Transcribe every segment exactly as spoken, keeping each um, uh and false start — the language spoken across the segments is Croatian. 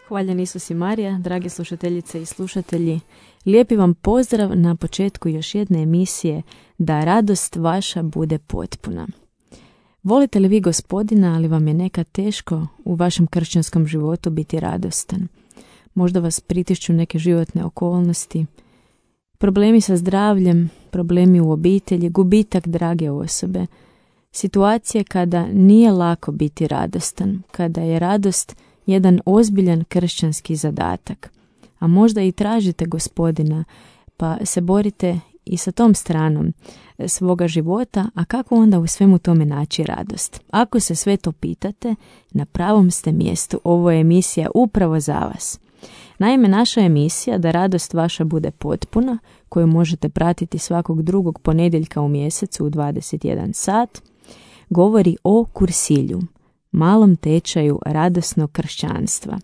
Hvaljen Isus i Marija, drage slušateljice i slušatelji. Lijepi vam pozdrav na početku još jedne emisije Da radost vaša bude potpuna. Volite li vi Gospodina, ali vam je nekad teško u vašem kršćanskom životu biti radostan? Možda vas pritišću neke životne okolnosti, problemi sa zdravljem, problemi u obitelji, gubitak drage osobe, situacije kada nije lako biti radostan, kada je radost jedan ozbiljan kršćanski zadatak. A možda i tražite Gospodina, pa se borite i sa tom stranom svoga života, a kako onda u svemu tome naći radost? Ako se sve to pitate, na pravom ste mjestu. Ovo je emisija upravo za vas. Naime, naša emisija Da radost vaša bude potpuna, koju možete pratiti svakog drugog ponedjeljka u mjesecu u dvadeset jedan sat, govori o kursilju, malom tečaju radosnog kršćanstva.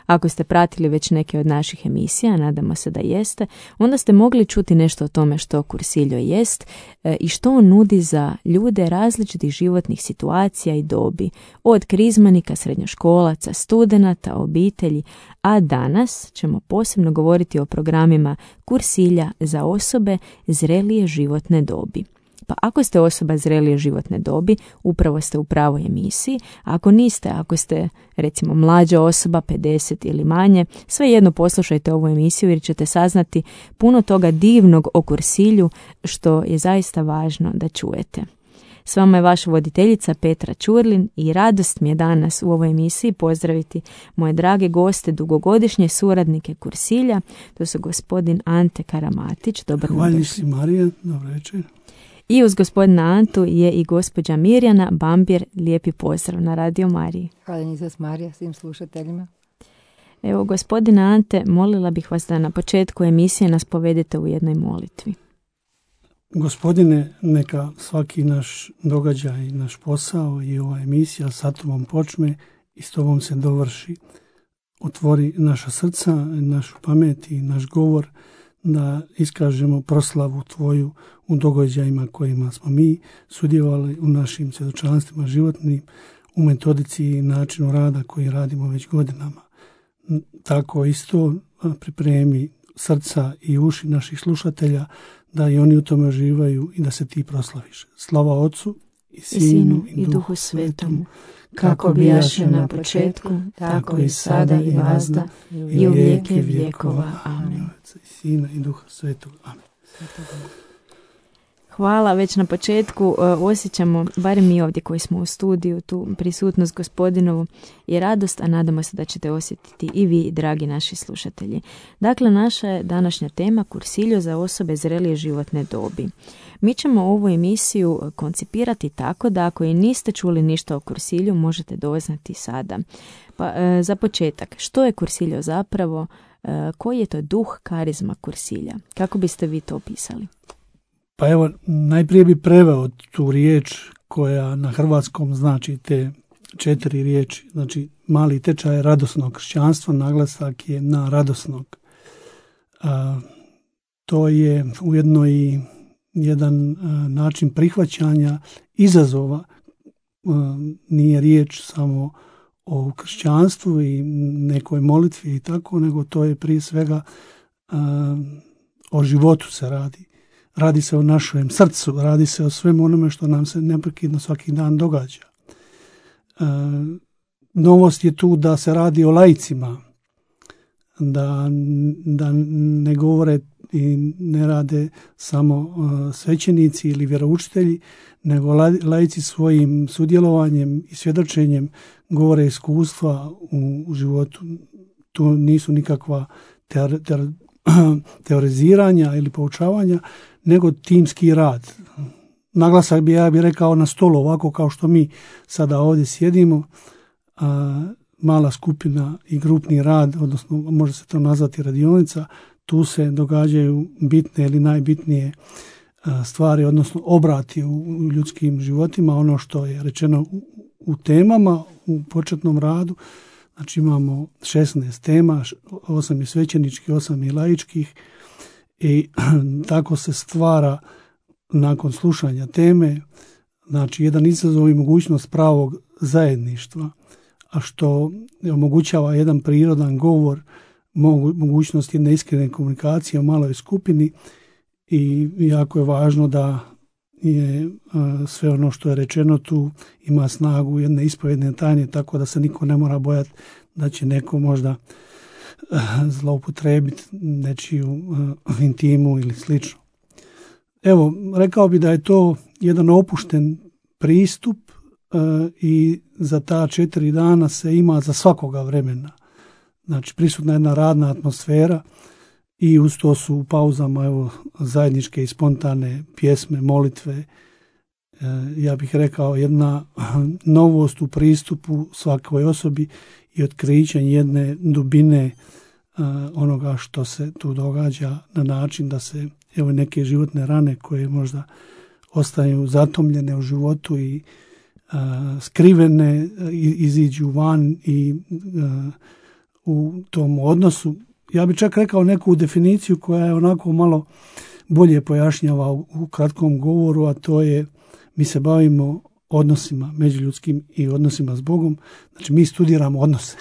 Ako ste pratili već neke od naših emisija, nadamo se da jeste, onda ste mogli čuti nešto o tome što kursiljo jest e, i što on nudi za ljude različitih životnih situacija i dobi, od krizmanika, srednjoškolaca, studenata, obitelji, a danas ćemo posebno govoriti o programima kursilja za osobe zrelije životne dobi. Pa ako ste osoba zrelije životne dobi, upravo ste u pravoj emisiji. Ako niste, ako ste recimo mlađa osoba, pedeset ili manje, svejedno poslušajte ovu emisiju jer ćete saznati puno toga divnog o kursilju što je zaista važno da čujete. S vama je vaša voditeljica Petra Ćurlin i radost mi je danas u ovoj emisiji pozdraviti moje drage goste, dugogodišnje suradnike kursilja. To su gospodin Ante Karamatić. Dobar dan. Hvala si Marija, dobro večer. I uz gospodina Antu je i gospođa Mirjana Bambir. Lijepi pozdrav na Radio Mariji. Hvala Isus Marija svim slušateljima. Evo, gospodina Ante, molila bih vas da na početku emisije nas povedete u jednoj molitvi. Gospodine, neka svaki naš događaj, naš posao i ova emisija sa tobom počne i s tobom se dovrši. Otvori naša srca, našu pamet i naš govor, da iskažemo proslavu tvoju u događajima kojima smo mi sudjelovali u našim svjedočanstvima životnim, u metodici i načinu rada koji radimo već godinama. Tako isto pripremi srca i uši naših slušatelja da i oni u tome uživaju i da se ti proslaviš. Slava Otcu i Sinu i, Sinu, i Duhu Svetomu, kako bijaše na početku, tako i sada i vazda, i u vijeke vjekova. Amen. I Sina i Duha Svetog. Amen. Hvala, već na početku uh, osjećamo, barem mi ovdje koji smo u studiju, tu prisutnost Gospodinovu i radost, a nadamo se da ćete osjetiti i vi, dragi naši slušatelji. Dakle, naša je današnja tema kursiljo za osobe zrelije životne dobi. Mi ćemo ovu emisiju koncipirati tako da ako i niste čuli ništa o kursilju, možete doznati sada. Pa, uh, za početak, što je kursiljo zapravo? Uh, koji je to duh karizma kursilja? Kako biste vi to opisali? Pa evo, najprije bi preveo tu riječ koja na hrvatskom znači te četiri riječi. Znači, mali tečaj radosnog kršćanstva, naglasak je na radosnog. A, to je ujedno i jedan a, način prihvaćanja izazova. A, nije riječ samo o kršćanstvu i nekoj molitvi i tako, nego to je prije svega a, o životu se radi. Radi se o našem srcu, radi se o svemu onome što nam se neprekidno svaki dan događa. E, novost je tu da se radi o laicima, da, da ne govore i ne rade samo uh, svećenici ili vjeroučitelji, nego laici svojim sudjelovanjem i svjedočenjem govore iskustva u, u životu. Tu nisu nikakva teore, teore, teoriziranja ili poučavanja, nego timski rad. Naglasak bi ja bih rekao na stolu, ovako kao što mi sada ovdje sjedimo, a, mala skupina i grupni rad, odnosno može se to nazvati radionica, tu se događaju bitne ili najbitnije a, stvari, odnosno obrati u, u ljudskim životima, ono što je rečeno u, u temama, u početnom radu. Znači imamo šesnaest tema, osam je svećeničkih, osam je laičkih, i tako se stvara nakon slušanja teme, znači jedan izazov i mogućnost pravog zajedništva, a što omogućava jedan prirodan govor, mogućnost jedne iskrene komunikacije u maloj skupini i jako je važno da je sve ono što je rečeno tu ima snagu jedne ispovjedne tajne, tako da se niko ne mora bojati da će neko možda zloupotrebiti nečiju intimu ili slično. Evo, rekao bi da je to jedan opušten pristup i za ta četiri dana se ima za svakoga vremena. Znači, prisutna jedna radna atmosfera i uz to su u pauzama evo, zajedničke i spontane pjesme, molitve. Ja bih rekao jedna novost u pristupu svakoj osobi i otkrićenje jedne dubine onoga što se tu događa na način da se evo neke životne rane koje možda ostaju zatomljene u životu i a, skrivene iziđu van i a, u tom odnosu. Ja bih čak rekao neku definiciju koja je onako malo bolje pojašnjava u, u kratkom govoru, a to je mi se bavimo odnosima međuljudskim i odnosima s Bogom. Znači mi studiramo odnose.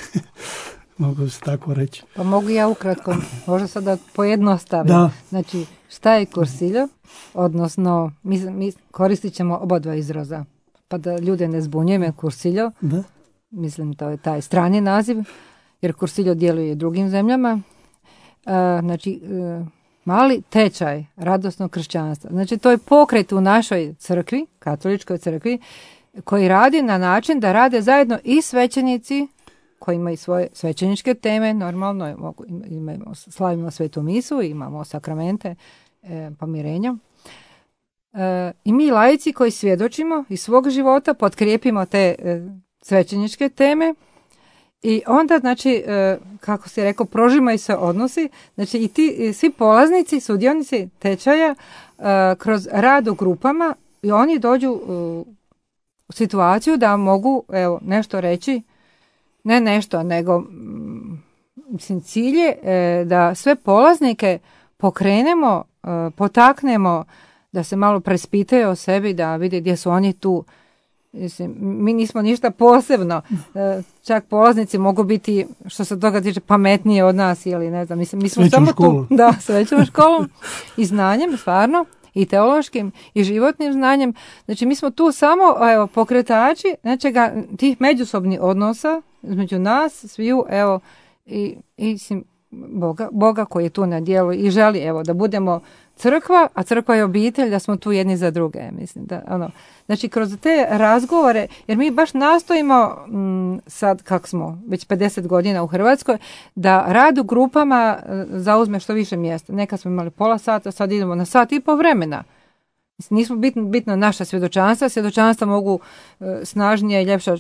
Mogu se tako reći. Pa mogu ja ukratko, možda sada pojednostavim. Da. Znači, šta je kursiljo? Odnosno, mi, mi koristit ćemo oba dva izraza. Pa da ljude ne zbunjujeme, kursiljo, da. Mislim to je taj strani naziv, jer kursiljo djeluje i drugim zemljama. E, znači, e, mali tečaj radosnog kršćanstva. Znači, to je pokret u našoj crkvi, katoličkoj crkvi, koji radi na način da rade zajedno i svećenici koji imaju svoje svećeničke teme, normalno imamo, slavimo svetu misu, imamo sakramente e, pomirenja. E, I mi laici koji svjedočimo iz svog života potkrijepimo te e, svećeničke teme i onda, znači, e, kako si rekao, prožimaju se odnosi, znači i ti i svi polaznici, sudionici tečaja e, kroz rad u grupama i oni dođu e, u situaciju da mogu evo, nešto reći. Ne nešto, nego mislim, cilj je e, da sve polaznike pokrenemo, e, potaknemo da se malo prespitaju o sebi, da vide gdje su oni tu. Mislim, mi nismo ništa posebno. E, čak polaznici mogu biti, što se toga tiče, pametnije od nas ili ne znam. Mislim, mi smo samo školu. tu. Da, s većom školom i znanjem, stvarno. I teološkim i životnim znanjem. Znači, mi smo tu samo evo, pokretači nečega, tih međusobnih odnosa između nas, sviju, evo, i, i sim, Boga, Boga koji je tu na djelu i želi, evo, da budemo crkva, a crkva je obitelj, da smo tu jedni za druge, mislim, da, ono, znači, kroz te razgovore, jer mi baš nastojimo, m, sad, kako smo, već pedeset godina u Hrvatskoj, da rad u grupama e, zauzme što više mjesta. Nekad smo imali pola sata, sad idemo na sat i po vremena. Nismo bitno, bitno naša svjedočanstva, svjedočanstva mogu e, snažnije i ljepše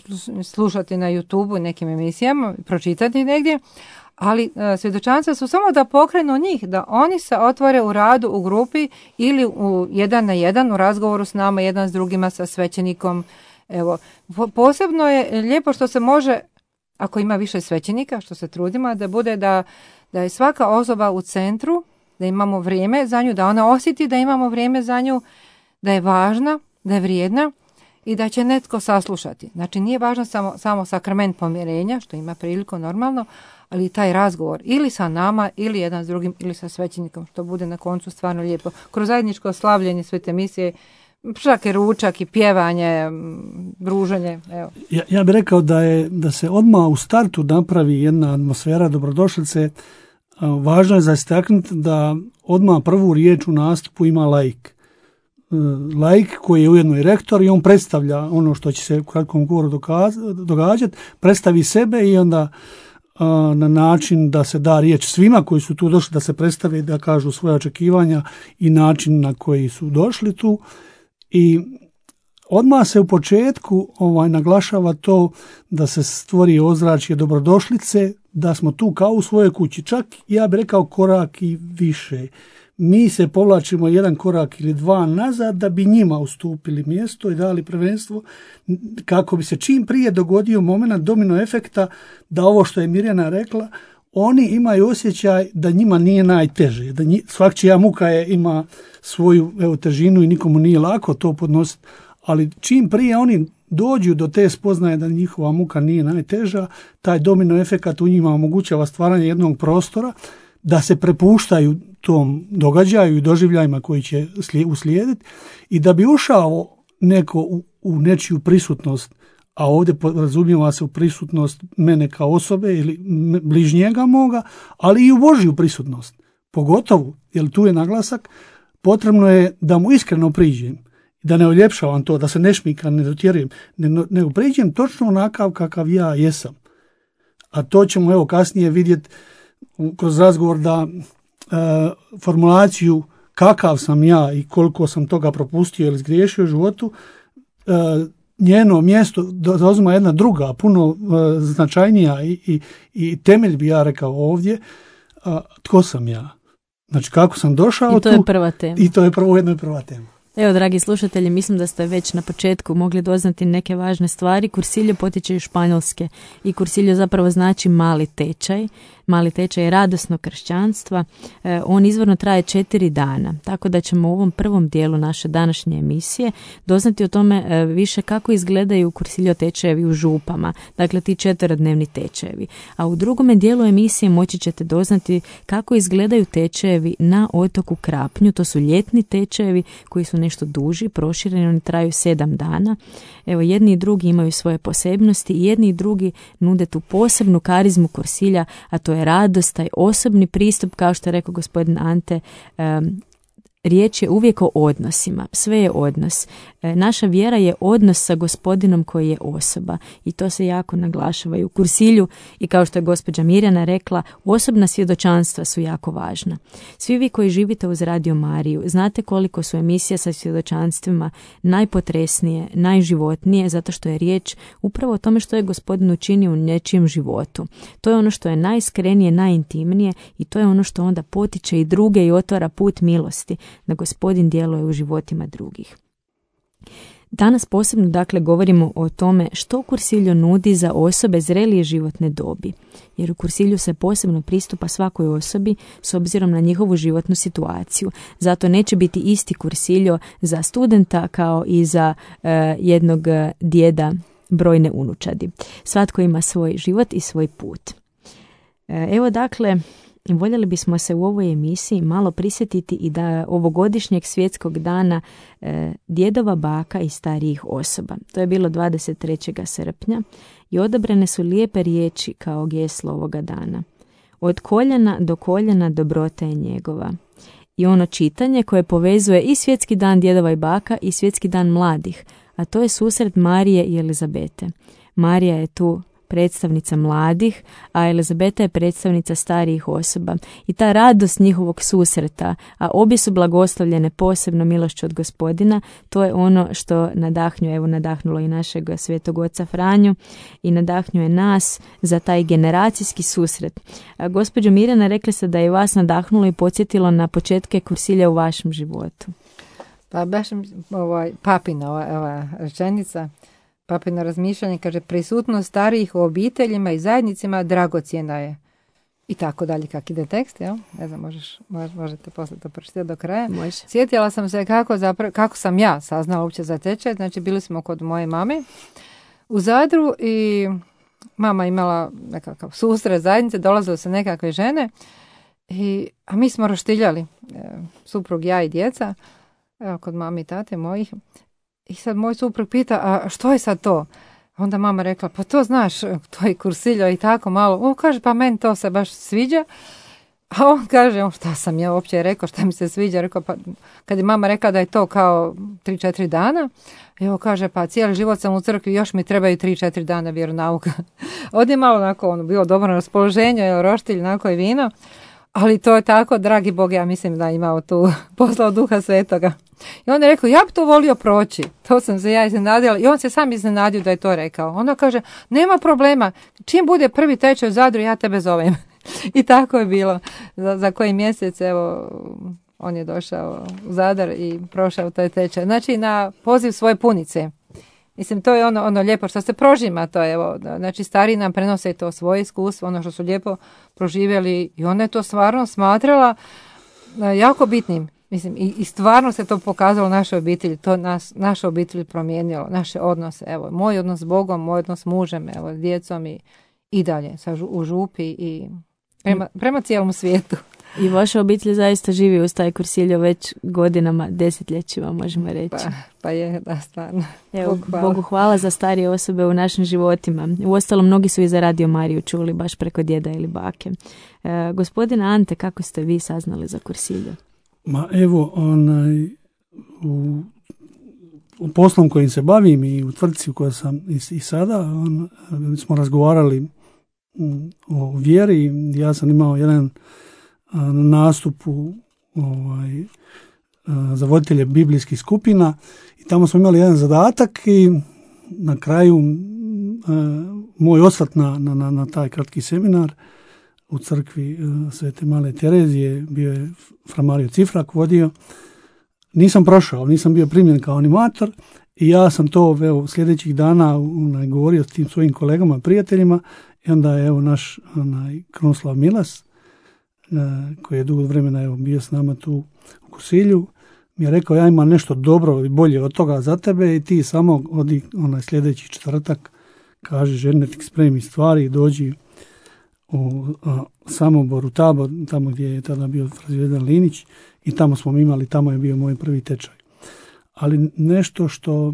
slušati na YouTube-u i nekim emisijama, pročitati negdje, ali e, svjedočanstva su samo da pokrenu njih, da oni se otvore u radu u grupi ili u jedan na jedan u razgovoru s nama, jedan s drugima, sa svećenikom. Evo, po, posebno je lijepo što se može, ako ima više svećenika, što se trudimo, da bude da, da je svaka osoba u centru, da imamo vrijeme za nju, da ona osjeti da imamo vrijeme za nju, da je važna, da je vrijedna i da će netko saslušati. Znači, nije važno samo, samo sakrament pomirenja, što ima priliku normalno, ali taj razgovor ili sa nama, ili jedan s drugim, ili sa svećenikom, što bude na koncu stvarno lijepo. Kroz zajedničko slavljenje svete misije, čak i ručak i pjevanje, druženje. Evo. Ja, ja bih rekao da, je, da se odmah u startu napravi jedna atmosfera dobrodošlice. Važno je za istaknuti da odmah prvu riječ u nastupu ima laik. Laik koji je ujedno i rektor i on predstavlja ono što će se u kratkom govoru događati, predstavi sebe i onda a, na način da se da riječ svima koji su tu došli da se predstave, da kažu svoje očekivanja i način na koji su došli tu. I odmah se u početku ovaj, naglašava to da se stvori ozračje dobrodošlice, da smo tu kao u svojoj kući. Čak, ja bih rekao, korak i više. Mi se povlačimo jedan korak ili dva nazad da bi njima ustupili mjesto i dali prvenstvo kako bi se čim prije dogodio moment domino efekta da ovo što je Mirjana rekla, oni imaju osjećaj da njima nije najteže, da nji, svakčija muka je, ima svoju evo, težinu i nikomu nije lako to podnositi, ali čim prije oni dođu do te spoznaje da njihova muka nije najteža, taj domino efekat u njima omogućava stvaranje jednog prostora da se prepuštaju tom događaju i doživljajima koji će uslijediti i da bi ušao neko u, u nečiju prisutnost, a ovdje razumijeva se u prisutnost mene kao osobe ili bližnjega moga, ali i u Božju prisutnost. Pogotovo, jer tu je naglasak, potrebno je da mu iskreno priđem, da ne oljepšavam to, da se ne šmikam, ne dotjerujem, nego priđem točno onakav kakav ja jesam. A to ćemo evo kasnije vidjeti kroz razgovor da e, formulaciju kakav sam ja i koliko sam toga propustio ili zgriješio u životu, e, njeno mjesto zauzima jedna druga, puno e, značajnija i, i, i temelj bi ja rekao ovdje, a, tko sam ja. Znači kako sam došao I to tu, je prva tema. I to je prvo jedno i prva tema. Evo, dragi slušatelji, mislim da ste već na početku mogli doznati neke važne stvari. Kursiljo potiče iz Španjolske i kursiljo zapravo znači mali tečaj. Mali tečaj je radosno kršćanstva. E, on izvorno traje četiri dana, tako da ćemo u ovom prvom dijelu naše današnje emisije doznati o tome e, više kako izgledaju kursiljo tečajevi u župama, dakle ti četverodnevni tečajevi. A u drugome dijelu emisije moći ćete doznati kako izgledaju tečajevi na otoku Krapnju. To su ljetni tečajevi koji su nešto duži, prošireni, oni traju sedam dana. Evo, jedni i drugi imaju svoje posebnosti i jedni i drugi nude tu posebnu karizmu kursilja, a to je radost, taj osobni pristup, kao što je rekao gospodin Ante. um, Riječ je uvijek o odnosima, sve je odnos. E, naša vjera je odnos sa Gospodinom koji je osoba i to se jako naglašava i u kursilju i kao što je gospođa Mirjana rekla, osobna svjedočanstva su jako važna. Svi vi koji živite uz Radio Mariju znate koliko su emisije sa svjedočanstvima najpotresnije, najživotnije, zato što je riječ upravo o tome što je Gospodin učinio u nečijem životu. To je ono što je najiskrenije, najintimnije i to je ono što onda potiče i druge i otvara put milosti, da Gospodin djeluje u životima drugih. Danas posebno dakle govorimo o tome što kursiljo nudi za osobe zrelije životne dobi, jer u kursilju se posebno pristupa svakoj osobi s obzirom na njihovu životnu situaciju. Zato neće biti isti kursiljo za studenta kao i za e, jednog djeda brojne unučadi. Svatko ima svoj život i svoj put. E, evo dakle, voljeli bismo se u ovoj emisiji malo prisjetiti i da ovogodišnjeg svjetskog dana e, djedova, baka i starijih osoba. To je bilo dvadeset trećeg srpnja i odabrane su lijepe riječi kao geslo ovoga dana. Od koljena do koljena dobrota je njegova. I ono čitanje koje povezuje i svjetski dan djedova i baka i svjetski dan mladih, a to je susret Marije i Elizabete. Marija je tu predstavnica mladih, a Elizabeta je predstavnica starijih osoba. I ta radost njihovog susreta, a obje su blagoslovljene posebno milošću od Gospodina, to je ono što nadahnjuje, evo nadahnulo i našeg svetog oca Franju i nadahnjuje nas za taj generacijski susret. A gospođo Mirjana, rekli ste da je vas nadahnulo i podsjetilo na početke kursilja u vašem životu. Pa baš ovaj, papina ova, ova rečenica, papino razmišljanje, kaže, prisutnost starijih u obiteljima i zajednicima dragocjena je. I tako dalje, kak ide tekst, jel? Ne znam, možeš, možete poslije to pročitati do kraja. Može. Sjetila sam se kako, zapra- kako sam ja saznala uopće za tečaj. Znači, bili smo kod moje mame u Zadru i mama imala nekakav susret zajednice, dolazile se nekakve žene, i, a mi smo roštiljali, e, suprug, ja i djeca, evo, kod mami i tate mojih. I sad moj suprug pita, a što je sad to? Onda mama rekla, pa to znaš, to je kursiljo i tako malo. On kaže, pa meni to se baš sviđa. A on kaže, šta sam ja uopće rekao, šta mi se sviđa? Rekao, pa kad je mama rekla da je to kao tri četiri dana, evo kaže, pa cijeli život sam u crkvi, još mi trebaju tri četiri dana vjeronauka. Ovdje je malo onako, ono, bilo dobro raspoloženje, evo, roštilj, onako i vino. Ali to je tako, dragi Bog, ja mislim da imao tu poslao Duha Svetoga. I on je rekao, ja bi to volio proći. To sam se ja iznenadila. I on se sam iznenadio da je to rekao. Onda kaže, nema problema. Čim bude prvi tečaj u Zadru, ja tebe zovem. I tako je bilo. Za, za koji mjesec, evo, on je došao u Zadar i prošao taj tečaj. Znači, na poziv svoje punice. Mislim, to je ono, ono lijepo što se prožima. To je, evo, znači, stariji nam prenose to svoje iskustvo, ono što su lijepo proživjeli. I ona je to stvarno smatrala jako bitnim. Mislim, i, i stvarno se to pokazalo našoj obitelji, to nas, naša obitelj promijenilo, naše odnose, evo, moj odnos s Bogom, moj odnos s mužem, evo, s djecom i, i dalje, sa, u župi i prema, prema cijelom svijetu. I vaša obitelj zaista živi uz taj Cursillo već godinama, desetljećima, možemo reći. Pa, pa je, da, stvarno. Evo, Bogu hvala. Bogu hvala za starije osobe u našim životima. Uostalom, mnogi su i za Radio Mariju čuli baš preko djeda ili bake. E, gospodine Ante, kako ste vi saznali za Cursillo? Ma evo, onaj, u, u poslom kojim se bavim i u tvrtci u kojoj sam i, i sada, on, smo razgovarali um, o vjeri. Ja sam imao jedan a, nastup u ovaj, a, za voditelje biblijskih skupina i tamo smo imali jedan zadatak i na kraju a, moj osvrt na, na, na, na taj kratki seminar u crkvi uh, Svete Male Terezije, bio je fra Mario Cifrak vodio. Nisam prošao, nisam bio primljen kao animator i ja sam to evo, sljedećih dana onaj, govorio s tim svojim kolegama, prijateljima i onda je evo, naš onaj, Krunoslav Milas, uh, koji je dugo vremena evo, bio s nama tu u Cursillu, mi je rekao ja imam nešto dobro i bolje od toga za tebe i ti samo odi onaj sljedeći četvrtak, kaže žene ti spremi stvari i dođi u a, Samoboru, Tabor, tamo gdje je tada bio Frazvedan Linić i tamo smo imali, tamo je bio moj prvi tečaj. Ali nešto što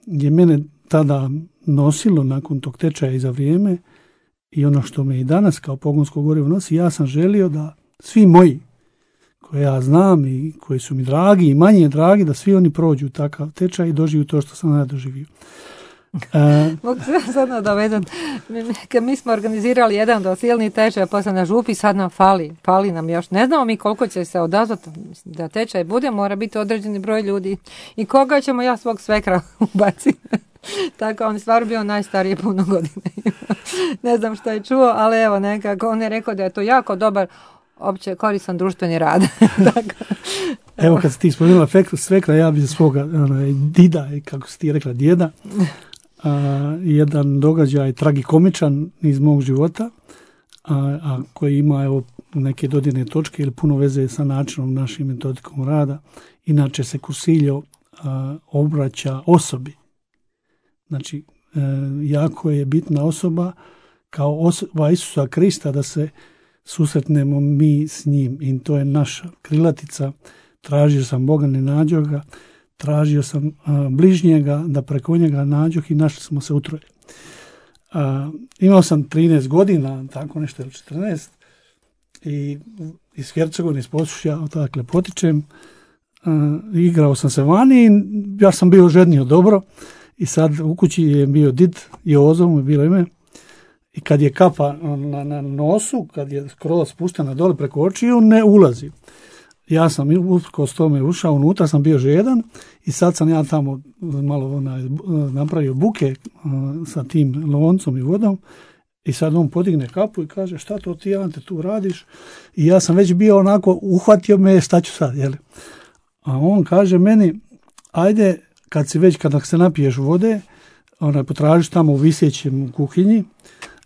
je mene tada nosilo nakon tog tečaja i za vrijeme i ono što me i danas kao pogonsko gorivo nosi, ja sam želio da svi moji koje ja znam i koji su mi dragi i manje dragi, da svi oni prođu takav tečaj i doživiju to što sam ja doživio. Uh, Mogu se sad nadovezat. Kad mi smo organizirali jedan dosilni tečaj posle na župi, sad nam fali, fali nam još. Ne znamo mi koliko će se odazvati da tečaj bude, mora biti određeni broj ljudi. I koga ćemo ja svog svekra ubaciti? Tako, on je stvarno bio najstariji puno godine. Ne znam što je čuo, ali evo nekako, on je rekao da je to jako dobar opće koristan društveni rad. Tako, evo kad si ti spomenula svekra, ja bi za svoga onaj, dida, kako si ti rekla djeda, a, jedan događaj tragikomičan iz mog života, a, a koji ima evo, neke dodirne točke ili puno veze sa načinom našim metodikom rada. Inače se Cursillo a, obraća osobi. Znači, e, jako je bitna osoba kao osoba Isusa Krista da se susretnemo mi s njim i to je naša krilatica. Tražio sam Boga, ne nađo ga, tražio sam a, bližnjega da preko njega nađoh i našli smo se utroje. A, imao sam trinaest godina, tako nešto ili četrnaest i iz Hercegovine, iz Posušja, odakle potičem, a, igrao sam se vani i ja sam bio ženio dobro i sad u kući je bio did, Jozo mu je bilo ime. I kad je kapa na, na nosu, kad je skroz spuštena dole preko očiju, ne ulazi. Ja sam usprkos tome ušao unutra, sam bio žedan i sad sam ja tamo malo onaj, napravio buke uh, sa tim loncom i vodom i sad on podigne kapu i kaže šta to ti Ante tu radiš? I ja sam već bio onako, uhvatio me, šta ću sad, jel? A on kaže meni, ajde, kad si već, kada se napiješ vode, onaj, potražiš tamo u visjećem u kuhinji,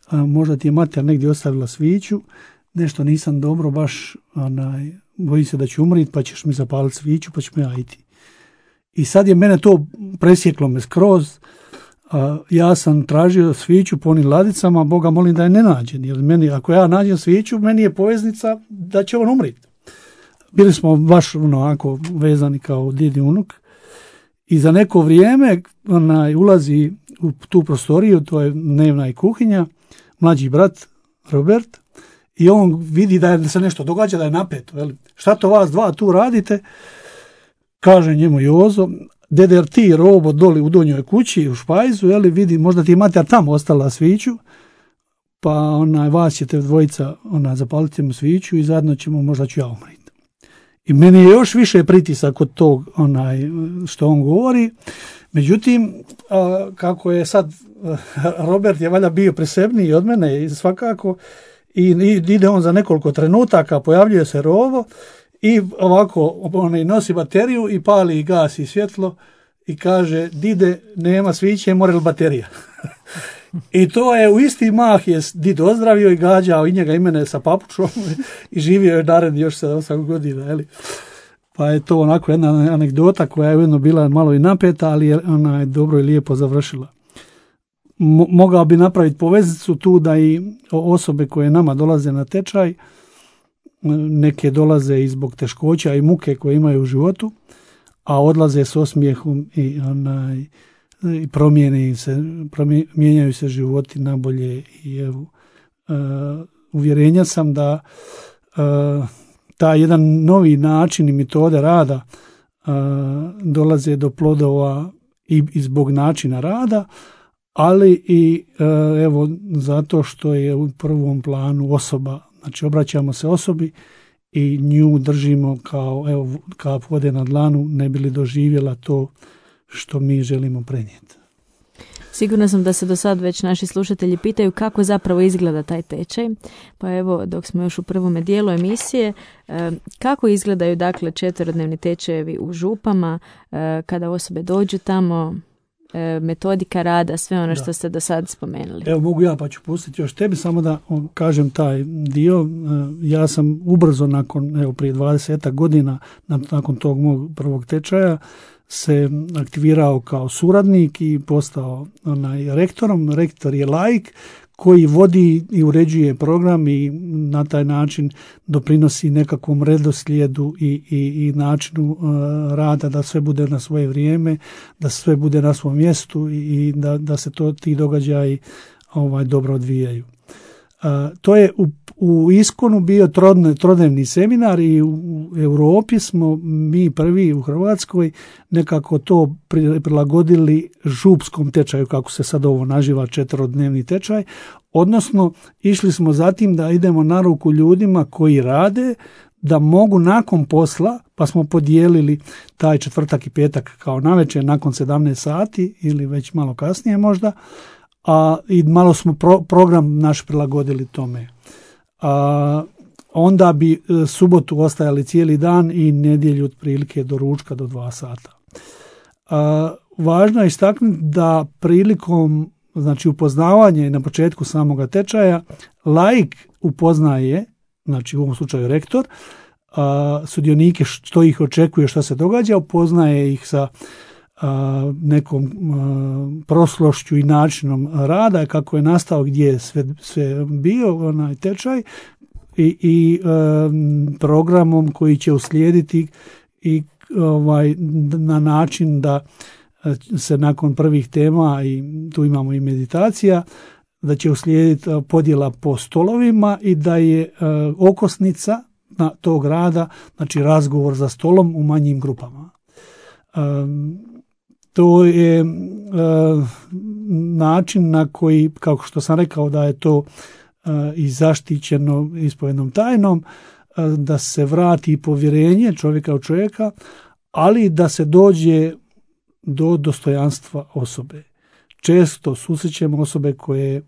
a, možda ti je mater negdje ostavila sviću, nešto nisam dobro, baš onaj, bojim se da ću umriti, pa ćeš mi zapaliti sviću, pa ću me ajti. I sad je mene to presjeklo me skroz, a, ja sam tražio sviću po onim ladicama, Boga molim da je ne nađem, jer meni, ako ja nađem sviću, meni je poveznica da će on umriti. Bili smo baš onako vezani kao djed i unuk. I za neko vrijeme onaj, ulazi u tu prostoriju, to je dnevna i kuhinja, mlađi brat Robert, i on vidi da, je, da se nešto događa, da je napeto. Jel? Šta to vas dva tu radite? Kaže njemu Jozo, dede, jer ti robo doli u donjoj kući, u špajzu, jel, vidi, možda ti je mater tamo ostala sviću, pa onaj, vas ćete dvojica onaj, zapaliti mu sviću i zajedno ćemo, možda ću ja umriti. I meni je još više pritisak od tog onaj, što on govori. Međutim, a, kako je sad, Robert je valjda bio presebniji od mene i svakako, i ide on za nekoliko trenutaka, pojavljuje se rovo i ovako onaj, nosi bateriju i pali i gasi svjetlo i kaže, dide, nema sviće, mora li baterija? I to je u isti mah je did ozdravio i gađao i njega i mene sa papučom i živio je naredni još sedam osam godina. Jeli? pa je to onako jedna anegdota koja je ujedno bila malo i napeta, ali je ona je dobro i lijepo završila. Mo- mogao bi napraviti poveznicu tu da i osobe koje nama dolaze na tečaj, neke dolaze i zbog teškoća i muke koje imaju u životu, a odlaze s osmijehom i, onaj, i promijeni se, promije, mijenjaju se životi na bolje. I evo, uh, uvjerenja sam da uh, taj jedan novi način i metode rada uh, dolaze do plodova i, i zbog načina rada, ali i uh, evo zato što je u prvom planu osoba. Znači obraćamo se osobi i nju držimo kao evo kap vode na dlanu, ne bi li doživjela to što mi želimo prenijeti. Sigurno sam da se do sad već naši slušatelji pitaju kako zapravo izgleda taj tečaj. Pa evo, dok smo još u prvome dijelu emisije, kako izgledaju dakle četverodnevni tečajevi u župama, kada osobe dođu tamo, metodika rada, sve ono da. Što ste do sad spomenuli. Evo mogu ja pa ću pustiti još tebi, samo da kažem taj dio. Ja sam ubrzo nakon, evo prije dvadeset godina, nakon tog mog prvog tečaja, se aktivirao kao suradnik i postao onaj rektorom. Rektor je laik koji vodi i uređuje program i na taj način doprinosi nekakvom redoslijedu i, i, i načinu uh, rada, da sve bude na svoje vrijeme, da sve bude na svom mjestu i, i da, da se to ti događaji ovaj, dobro odvijaju. Uh, to je u, u Iskonu bio trodne, trodnevni seminar i u, u Europi smo mi prvi u Hrvatskoj nekako to prilagodili župskom tečaju, kako se sad ovo naziva, četverodnevni tečaj, odnosno išli smo zatim da idemo na ruku ljudima koji rade, da mogu nakon posla, pa smo podijelili taj četvrtak i petak kao navečer nakon sedamnaest sati ili već malo kasnije možda, a i malo smo pro, program naš prilagodili tome. A, onda bi subotu ostajali cijeli dan i nedjelju otprilike do ručka do dva sata. A, važno je istaknuti da prilikom znači upoznavanje na početku samoga tečaja laik upoznaje, znači u ovom slučaju rektor, a, sudionike što ih očekuje, što se događa, upoznaje ih sa a, nekom a, proslošću i načinom rada, kako je nastao, gdje je sve, sve bio onaj tečaj i, i a, programom koji će uslijediti i ovaj, na način da se nakon prvih tema, i tu imamo i meditacija, da će uslijediti podjela po stolovima i da je okosnica na tog rada, znači razgovor za stolom u manjim grupama. To je način na koji, kako što sam rekao, da je to i zaštićeno ispovednom tajnom, da se vrati povjerenje čovjeka u čovjeka, ali da se dođe do dostojanstva osobe. Često susrećemo osobe koje e,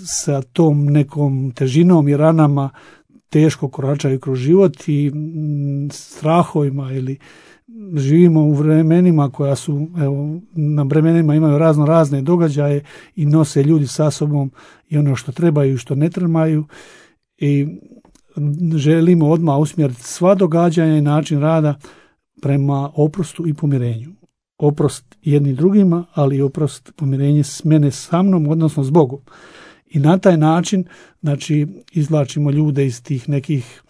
sa tom nekom težinom i ranama teško koračaju kroz život i m, strahovima, ili živimo u vremenima koja su, evo, na vremenima imaju razno razne događaje i nose ljudi sa sobom i ono što trebaju i što ne trebaju, i želimo odmah usmjeriti sva događanja i način rada prema oprostu i pomirenju. Oprost jedni drugima, ali i oprost, pomirenje s mene sa mnom, odnosno s Bogom. I na taj način, znači, izvlačimo ljude iz tih nekih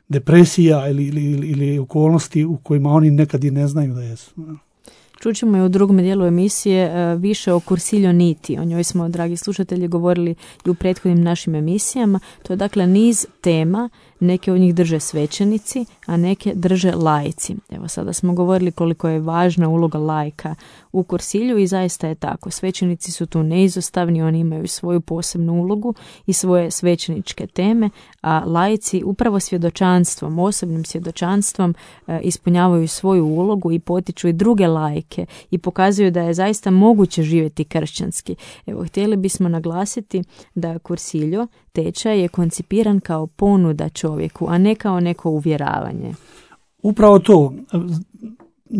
depresija ili, ili, ili okolnosti u kojima oni nekad i ne znaju da jesu. Čućemo i u drugom dijelu emisije više o Cursillo Niti. O njoj smo, dragi slušatelji, govorili i u prethodnim našim emisijama. To je dakle niz tema, neke od njih drže svećenici, a neke drže laici. Evo, sada smo govorili koliko je važna uloga laika u Cursillu i zaista je tako. Svećenici su tu neizostavni, oni imaju svoju posebnu ulogu i svoje svećeničke teme, a laici upravo svjedočanstvom, osobnim svjedočanstvom e, ispunjavaju svoju ulogu i potiču i druge laike i pokazuju da je zaista moguće živjeti kršćanski. Evo, htjeli bismo naglasiti da Cursillo tečaj je koncipiran kao ponuda čovjeku, a ne kao neko uvjeravanje. Upravo to,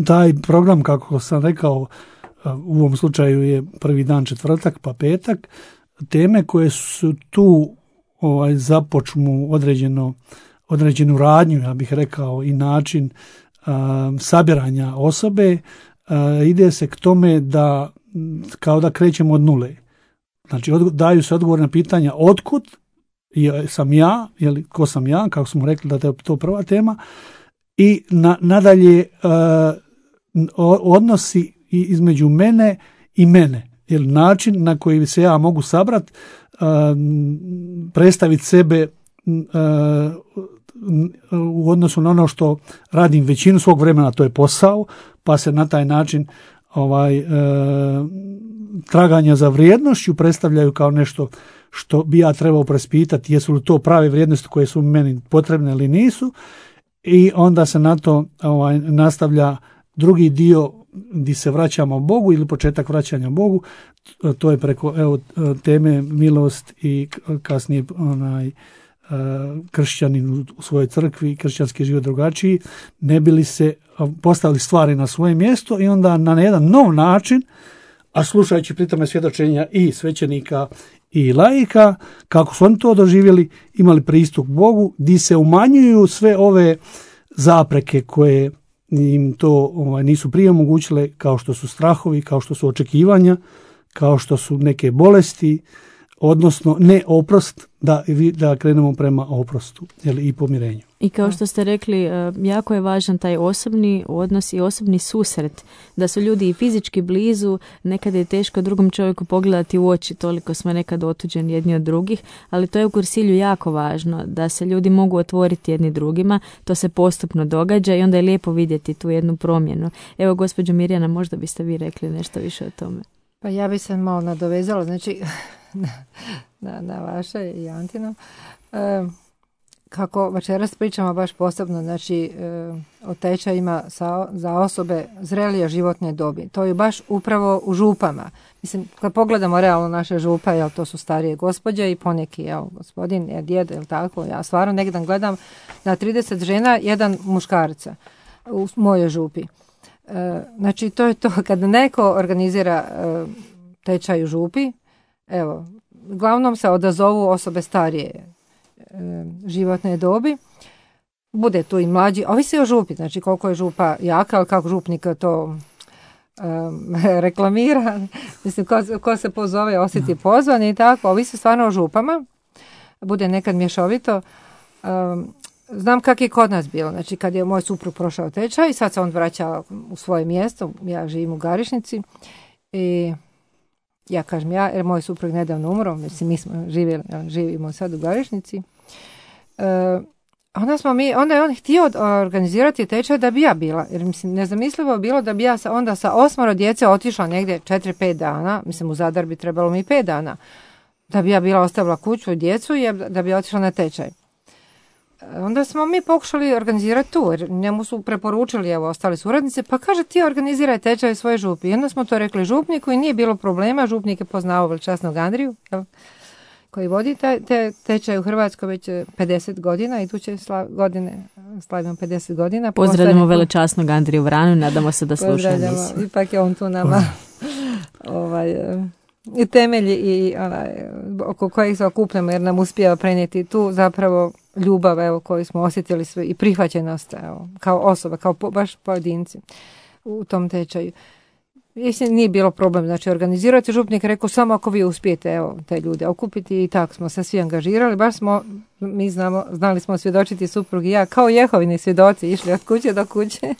taj program, kako sam rekao, u ovom slučaju je prvi dan četvrtak pa petak, teme koje su tu ovaj, započnu određeno određenu radnju, ja bih rekao, i način a, sabiranja osobe, a, ide se k tome da kao da krećemo od nule. Znači, od, daju se odgovor na pitanja otkud sam ja, jeli, ko sam ja, kako smo rekli da je to prva tema, i na, nadalje uh, odnosi između mene i mene, jer način na koji se ja mogu sabrat, uh, predstaviti sebe uh, u odnosu na ono što radim većinu svog vremena, to je posao, pa se na taj način ovaj uh, traganja za vrijednošću predstavljaju kao nešto što bi ja trebao preispitati, jesu li to prave vrijednosti koje su meni potrebne ili nisu, i onda se na to ovaj, nastavlja drugi dio gdje se vraćamo Bogu ili početak vraćanja Bogu, to je preko evo, teme milost i kasnije onaj kršćanin u svojoj crkvi, kršćanski život drugačiji, ne bi li se postavili stvari na svoje mjesto i onda na jedan nov način, a slušajući pritome svjedočenja i svećenika i laika, kako su oni to doživjeli, imali pristup Bogu, gdje se umanjuju sve ove zapreke koje im to ovaj, nisu prije omogućile, kao što su strahovi, kao što su očekivanja, kao što su neke bolesti, odnosno ne oprost, da, da krenemo prema oprostu jeli, i pomirenju. I kao što ste rekli, jako je važan taj osobni odnos i osobni susret, da su ljudi i fizički blizu, nekada je teško drugom čovjeku pogledati u oči, toliko smo nekad otuđeni jedni od drugih, ali to je u kursilju jako važno, da se ljudi mogu otvoriti jedni drugima, to se postupno događa i onda je lijepo vidjeti tu jednu promjenu. Evo, gospođo Mirjana, možda biste vi rekli nešto više o tome. Pa ja bi se malo nadovezala, znači, na, na, na vaše i Antino. E, kako večeras pričamo baš posebno, znači, e, o tečajima sa, za osobe zrelije životne dobi. To je baš upravo u župama. Mislim, kad pogledamo realno naše župe, jel, to su starije gospođe i poneki, jel, gospodin, je djed, jel tako, ja stvarno nekdan gledam na trideset žena, jedan muškarca u mojoj župi. E, znači, to je to, kada neko organizira e, tečaj u župi, evo, uglavnom se odazovu osobe starije e, životne dobi, bude tu i mlađi, ovisi o župi, znači koliko je župa jaka, ali kako župnik to e, reklamira, mislim, ko, ko se pozove, osjeti pozvan i tako, ovisi stvarno o župama, bude nekad mješovito. E, znam kako je kod nas bilo, znači kad je moj suprug prošao tečaj i sad se on vraća u svoje mjesto, ja živim u Garišnici i ja kažem ja, jer moj suprug nedavno umro, mislim mi smo živjeli, živimo sad u Garišnici. E, onda, smo mi, onda je on htio organizirati tečaj da bi ja bila, jer mislim nezamislivo bilo da bi ja sa, onda sa osmoro djece otišla negdje četiri pet dana, mislim u Zadar bi trebalo mi pet dana, da bi ja bila ostavila kuću i djecu i da bi otišla na tečaj. Onda smo mi pokušali organizirati tu, jer njemu su preporučili, evo, ostali suradnice, pa kaže ti organiziraj tečaj svoje župi. I onda smo to rekli župniku i nije bilo problema, župnik je poznao veličasnog Andriju, jel, koji vodi te, te tečaj u Hrvatskoj već pedeset godina, iduće sla, godine slavimo pedeset godina. Pozdravljamo veličasnog Andriju Vranu, nadamo se da sluša emisiju. Ipak je on tu nama ovaj, i temelji i onaj, oko kojih se okupljamo, jer nam uspijeva prenijeti tu zapravo ljubav, evo, koju smo osjetili sve i prihvaćenost, evo, kao osoba, kao po, baš pojedinci u tom tečaju. Mislim, nije bilo problem, znači organizirati, župnik rekao samo ako vi uspijete, evo, te ljude okupiti i tako smo se svi angažirali, baš smo, mi znamo, znali smo svjedočiti suprug i ja, kao Jehovini svjedoci, išli od kuće do kuće.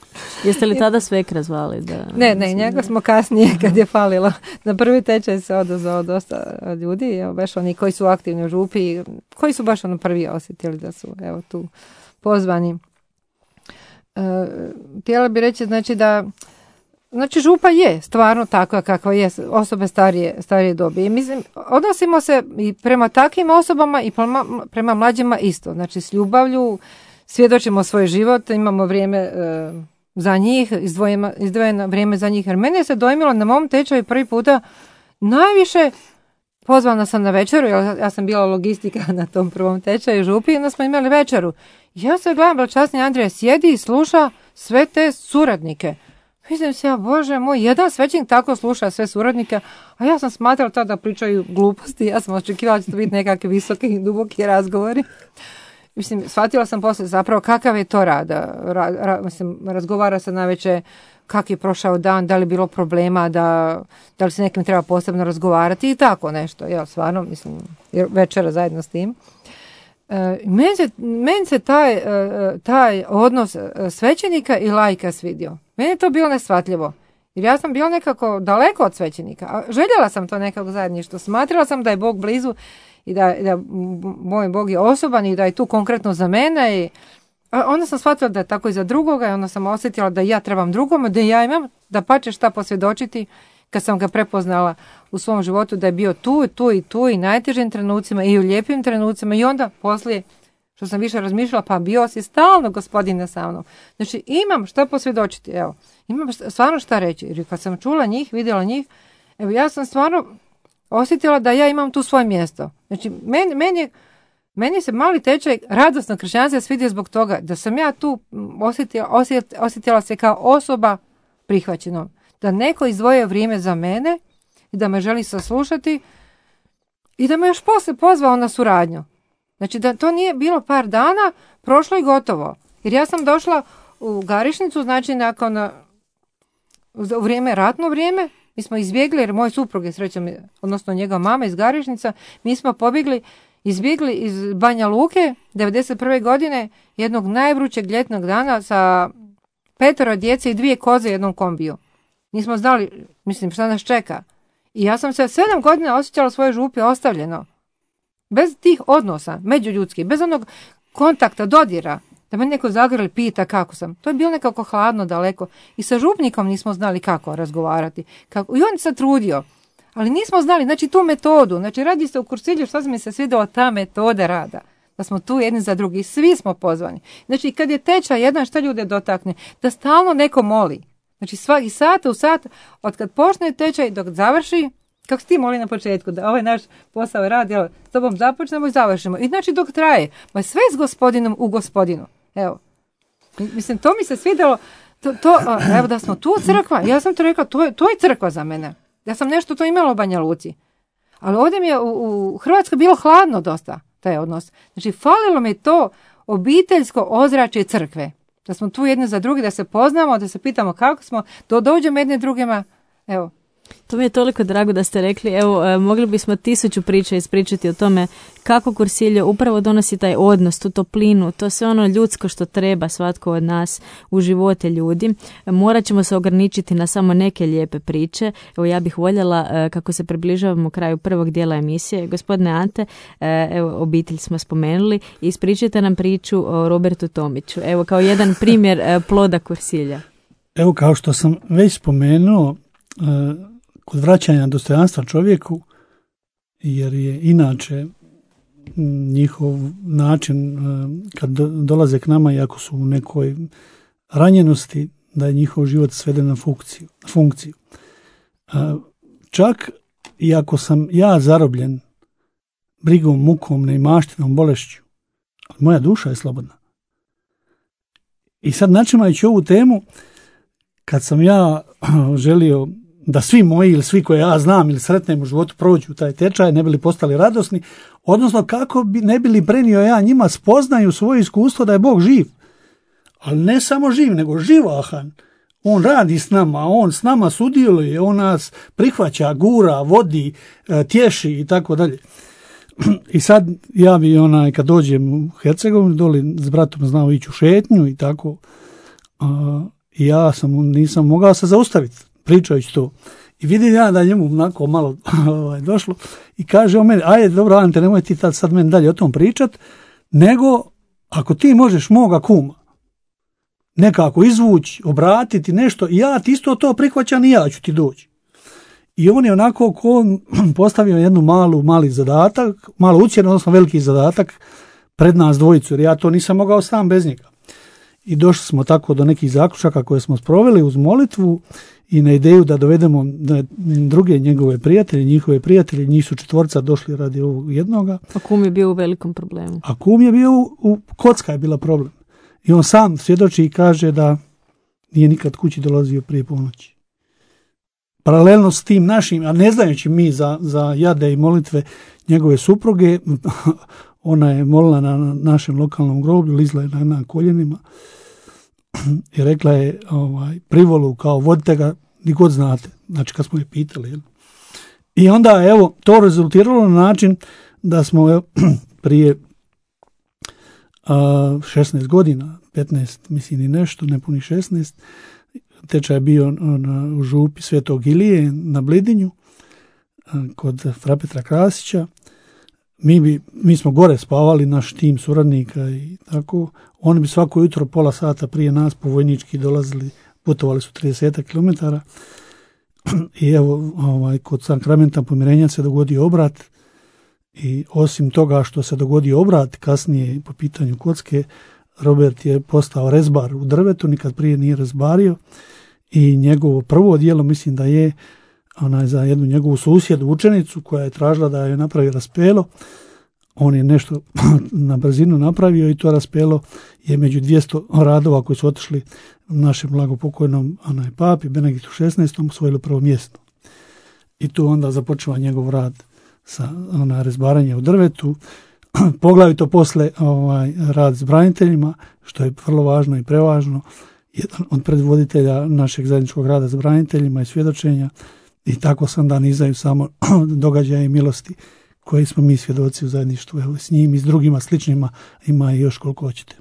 Jeste li tada svekra zvali? Da... Ne, ne, njega smo kasnije kad je falilo. Na prvi tečaj se odazvao dosta ljudi, evo, baš oni koji su aktivni u župi, koji su baš ono prvi osjetili da su, evo, tu pozvani. E, htjela bi reći, znači da Znači župa je stvarno takva kakva je, osobe starije, starije dobi. I mislim, odnosimo se i prema takvim osobama i prema, prema mlađima isto. Znači s ljubavlju, svjedočimo svoj život, imamo vrijeme e, za njih, izdvojeno, izdvojeno vrijeme za njih. Jer mene se dojmilo na mom tečaju prvi puta najviše, pozvana sam na večeru, jer ja sam bila logistika na tom prvom tečaju župi, i onda smo imali večeru. Ja se gledam, veličasni Andrija sjedi i sluša sve te suradnike. Mislim se, ja, Bože moj, jedan svećenik tako sluša sve suradnike, a ja sam smatrala tada da pričaju gluposti, ja sam očekivala da će to biti nekakvi visoki i duboki razgovori. mislim, shvatila sam poslije zapravo kakav je to rad. Ra, ra, mislim, razgovara se navečer kak je prošao dan, da li je bilo problema, da, da li se nekim treba posebno razgovarati i tako nešto. Ja, stvarno, mislim, večera zajedno s tim. E, meni se, meni se taj, e, taj odnos svećenika i laika svidio. Meni je to bilo neshvatljivo. Jer ja sam bila nekako daleko od svećenika. A željela sam to nekako zajedništvo. Smatrala sam da je Bog blizu i da, da moj Bog je osoban i da je tu konkretno za mene. I a onda sam shvatila da je tako i za drugoga i onda sam osjetila da ja trebam drugome, da ja imam da pače šta posvjedočiti kad sam ga prepoznala u svom životu da je bio tu, tu i tu i najtežim trenucima i u lijepim trenucima i onda poslije što sam više razmišljala, pa bio si stalno Gospodine sa mnom. Znači imam šta posvjedočiti, evo, imam šta, stvarno šta reći. Jer kad sam čula njih, vidjela njih, evo ja sam stvarno osjetila da ja imam tu svoje mjesto. Znači meni, meni, meni se mali tečaj radosno kršćanstva svidio zbog toga da sam ja tu osjetila, osjet, osjetila se kao osoba prihvaćenom. Da neko izdvojio vrijeme za mene i da me želi saslušati i da me još poslije pozvao na suradnju. Znači da to nije bilo par dana, prošlo i gotovo. Jer ja sam došla u Garišnicu, znači nakon, u vrijeme, ratno vrijeme, mi smo izbjegli, jer moj suprug je srećom, odnosno njegova mama iz Garišnica, mi smo pobjegli, izbjegli iz Banja Luke, devedeset prve godine, jednog najvrućeg ljetnog dana sa petero djece i dvije koze u jednom kombiju. Nismo znali, mislim, šta nas čeka. I ja sam se sedam godina osjećala svoje župi ostavljeno. Bez tih odnosa, međuljudskih, bez onog kontakta, dodira, da me neko zagrli pita kako sam. To je bilo nekako hladno, daleko. I sa župnikom nismo znali kako razgovarati. Kako. I on se trudio. Ali nismo znali, znači tu metodu. Znači radi se u Kursilju, što mi se svidjela ta metoda rada. Da smo tu jedni za drugi. Svi smo pozvani. Znači kad je tečaj jedan, šta ljude dotakne? Da stalno neko moli. Znači svaki sat u sat, od kad počne tečaj dok završi, kako si ti moli na početku, da ovaj naš posao radi, evo, s tobom započnemo i završimo. I znači dok traje, ma sve s Gospodinom u Gospodinu. Evo, mislim, to mi se svidjelo, to, to, evo da smo tu crkva, ja sam to rekla, to je, to je crkva za mene. Ja sam nešto to imala u Banja Luci. Ali ovdje mi je u, u Hrvatskoj bilo hladno dosta, taj odnos. Znači, falilo mi to obiteljsko ozračje crkve. Da smo tu jedni za drugi, da se poznamo, da se pitamo kako smo, da dođemo jedne drugima, evo. To mi je toliko drago da ste rekli, evo, mogli bismo tisuću priča ispričati o tome kako Kursilje upravo donosi taj odnos, tu toplinu, to sve ono ljudsko što treba svatko od nas u živote ljudi. Morat ćemo se ograničiti na samo neke lijepe priče. Evo, ja bih voljela, kako se približavamo kraju prvog dijela emisije, gospodine Ante, evo, obitelj smo spomenuli, ispričajte nam priču o Robertu Tomiću. Evo, kao jedan primjer ploda Kursilja. Evo, kao što sam već spomenuo, kod vraćanja dostojanstva čovjeku, jer je inače njihov način kad dolaze k nama i ako su u nekoj ranjenosti, da je njihov život sveden na funkciju. funkciju. Čak i ako sam ja zarobljen brigom, mukom, neimaštinom, bolešću, moja duša je slobodna. I sad načimajući ovu temu, kad sam ja želio da svi moji ili svi koje ja znam ili sretnem u životu prođu taj tečaj, ne bili postali radosni, odnosno kako bi, ne bili prenio ja njima spoznaju svoje iskustvo da je Bog živ. Ali ne samo živ, nego živahan. On radi s nama, on s nama sudjeluje, on nas prihvaća, gura, vodi, tješi i tako dalje. I sad ja bi onaj, kad dođem u Hercegovinu, doli s bratom znao ići u šetnju i tako, a, i ja sam, nisam mogao se zaustaviti pričajući to. I vidim ja da njemu onako malo ovaj, došlo i kaže on meni, ajde dobro Ante, nemoj ti tad sad meni dalje o tom pričat, nego ako ti možeš moga kuma nekako izvući, obratiti nešto, ja ti isto to prihvaćam i ja ću ti doći. I on je onako ko postavio jednu malu, mali zadatak, malo ucjen, odnosno veliki zadatak pred nas dvojicu, jer ja to nisam mogao sam bez njega. I došli smo tako do nekih zaključaka koje smo sproveli uz molitvu i na ideju da dovedemo druge njegove prijatelje, njihove prijatelje, njih su četvorca došli radi ovog jednoga. A kum je bio u velikom problemu. A kum je bio, u, u kocka je bila problem. I on sam svjedoči i kaže da nije nikad kući dolazio prije ponoći. Paralelno s tim našim, a ne znajući mi za, za jade i molitve njegove supruge, ona je molila na našem lokalnom groblju, lizla je na, na koljenima i rekla je ovaj, privolu kao vodite ga ni god znate, znači kad smo je pitali. Jel? I onda evo to rezultiralo na način da smo evo, prije a, šesnaest godina, petnaest mislim i nešto, ne puni šesnaest, tečaj je bio na, u župi Svetog Ilije na Blidinju a, kod fra Petra Krasića. Mi, bi, mi smo gore spavali, naš tim suradnika i tako. Oni bi svako jutro pola sata prije nas po vojnički dolazili, putovali su trideset kilometara. I evo, ovaj, kod sakramenta pomirenja se dogodio obrat i osim toga što se dogodio obrat, kasnije po pitanju kocke, Robert je postao rezbar u drvetu, nikad prije nije rezbario i njegovo prvo djelo mislim da je onaj, za jednu njegovu susjedu, učenicu koja je tražila da je napravi raspelo. On je nešto na brzinu napravio i to raspelo je među dvjesto radova koji su otišli našem blagopokojnom onaj, papi Benediktu šesnaestom osvojilo prvo mjesto. I tu onda započeva njegov rad sa onaj, rezbaranje u drvetu. Poglavito posle ovaj, rad s braniteljima, što je vrlo važno i prevažno. Jedan od predvoditelja našeg zajedničkog rada s braniteljima i svjedočenja. I tako sam da nizaju samo događaje i milosti koji smo mi svjedoci u zajedništvu. Evo, s njim i s drugima sličnima ima i još koliko hoćete.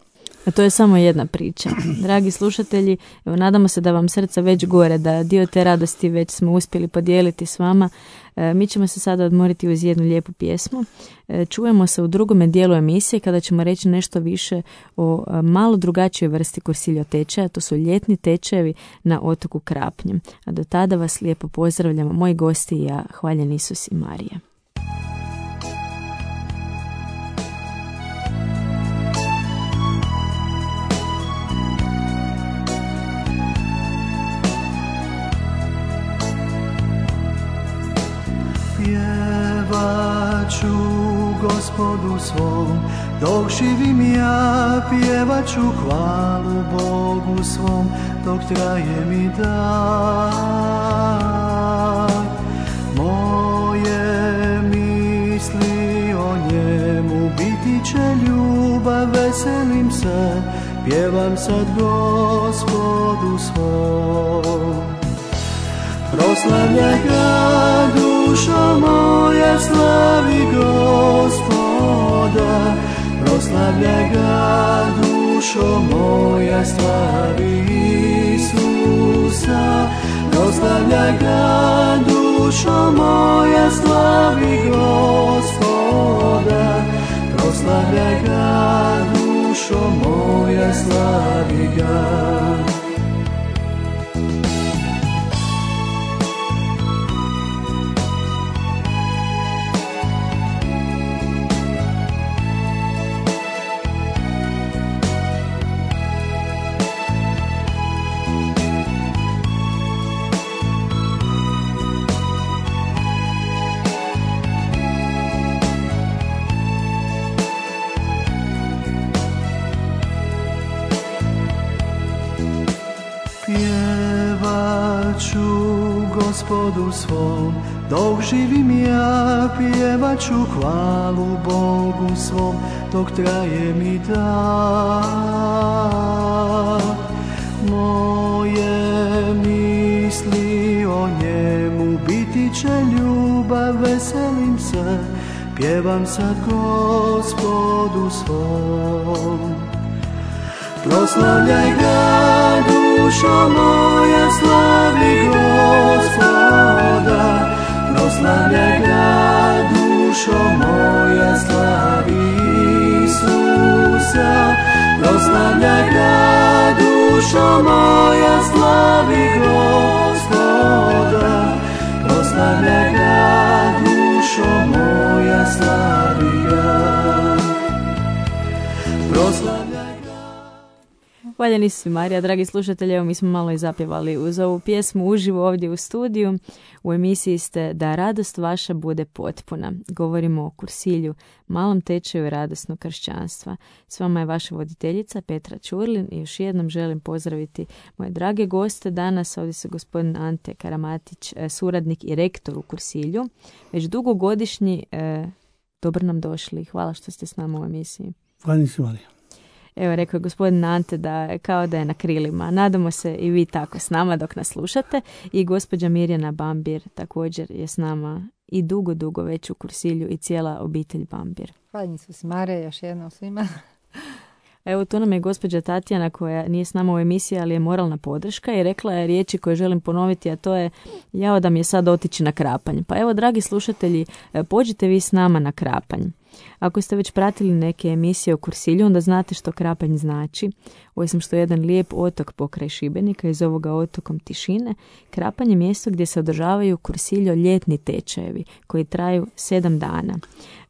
A to je samo jedna priča. Dragi slušatelji, evo, nadamo se da vam srca već gore, da dio te radosti već smo uspjeli podijeliti s vama. E, mi ćemo se sada odmoriti uz jednu lijepu pjesmu. E, čujemo se u drugome dijelu emisije kada ćemo reći nešto više o a, malo drugačijoj vrsti kursiljo tečaja. To su ljetni tečajevi na otoku Krapnjem. A do tada vas lijepo pozdravljamo, moji gosti i ja, hvaljen Isus i Marija. Pjevat ću Gospodu svom, dok živim ja, pjevat ću hvalu Bogu svom, dok traje mi dan. Moje misli o njemu biti će ljubav, veselim se, pjevam sad Gospodu svom. Proslavljaj ga, dušo moja, slavi Gospoda. Proslavljaj ga, dušo moja, slavi Isusa. Proslavljaj ga, dušo moja, slavi Gospoda. Proslavljaj ga, dušo moja, slavi ga. Gospodu svom, dok živim ja, pjevat ću hvalu Bogu svom, dok traje mi dan. Moje misli o njemu biti će ljubav, veselim se, pjevam sad Gospodu svom. Proslavljaj ga, dušo moja, slavi Gospoda. Proslavljaj ga, dušo moja, slavi Isusa. Proslavljaj ga, dušo moja, slavi Gospoda. Proslavljaj ga, dušo moja, slavi ga. Proslavljaj. Hvaljeni su Marija, dragi slušatelji, evo mi smo malo i zapjevali uz ovu pjesmu uživo ovdje u studiju. U emisiji ste Da radost vaša bude potpuna. Govorimo o kursilju, malom tečaju radosnog kršćanstva. S vama je vaša voditeljica Petra Ćurlin i još jednom želim pozdraviti moje drage goste. Danas ovdje su gospodin Ante Karamatić, suradnik i rektor u kursilju. Već dugogodišnji eh, dobro nam došli. Hvala što ste s nama u emisiji. Hvala si, Marija. Evo, rekao je gospodin Ante da kao da je na krilima. Nadamo se i vi tako s nama dok nas slušate. I gospođa Mirjana Bambir također je s nama i dugo, dugo već u Kursilju i cijela obitelj Bambir. Hvala su s Mare, još jednom svima. Evo, tu nam je gospođa Tatjana koja nije s nama u emisiji, ali je moralna podrška i rekla je riječi koje želim ponoviti, a to je jao da mi je sad otići na Krapanj. Pa evo, dragi slušatelji, pođite vi s nama na Krapanj. Ako ste već pratili neke emisije o Kursilju, onda znate što Krapanj znači. Osim što je jedan lijep otok pokraj Šibenika, iz ovoga otokom tišine, Krapanj je mjesto gdje se održavaju Kursiljo ljetni tečajevi koji traju sedam dana.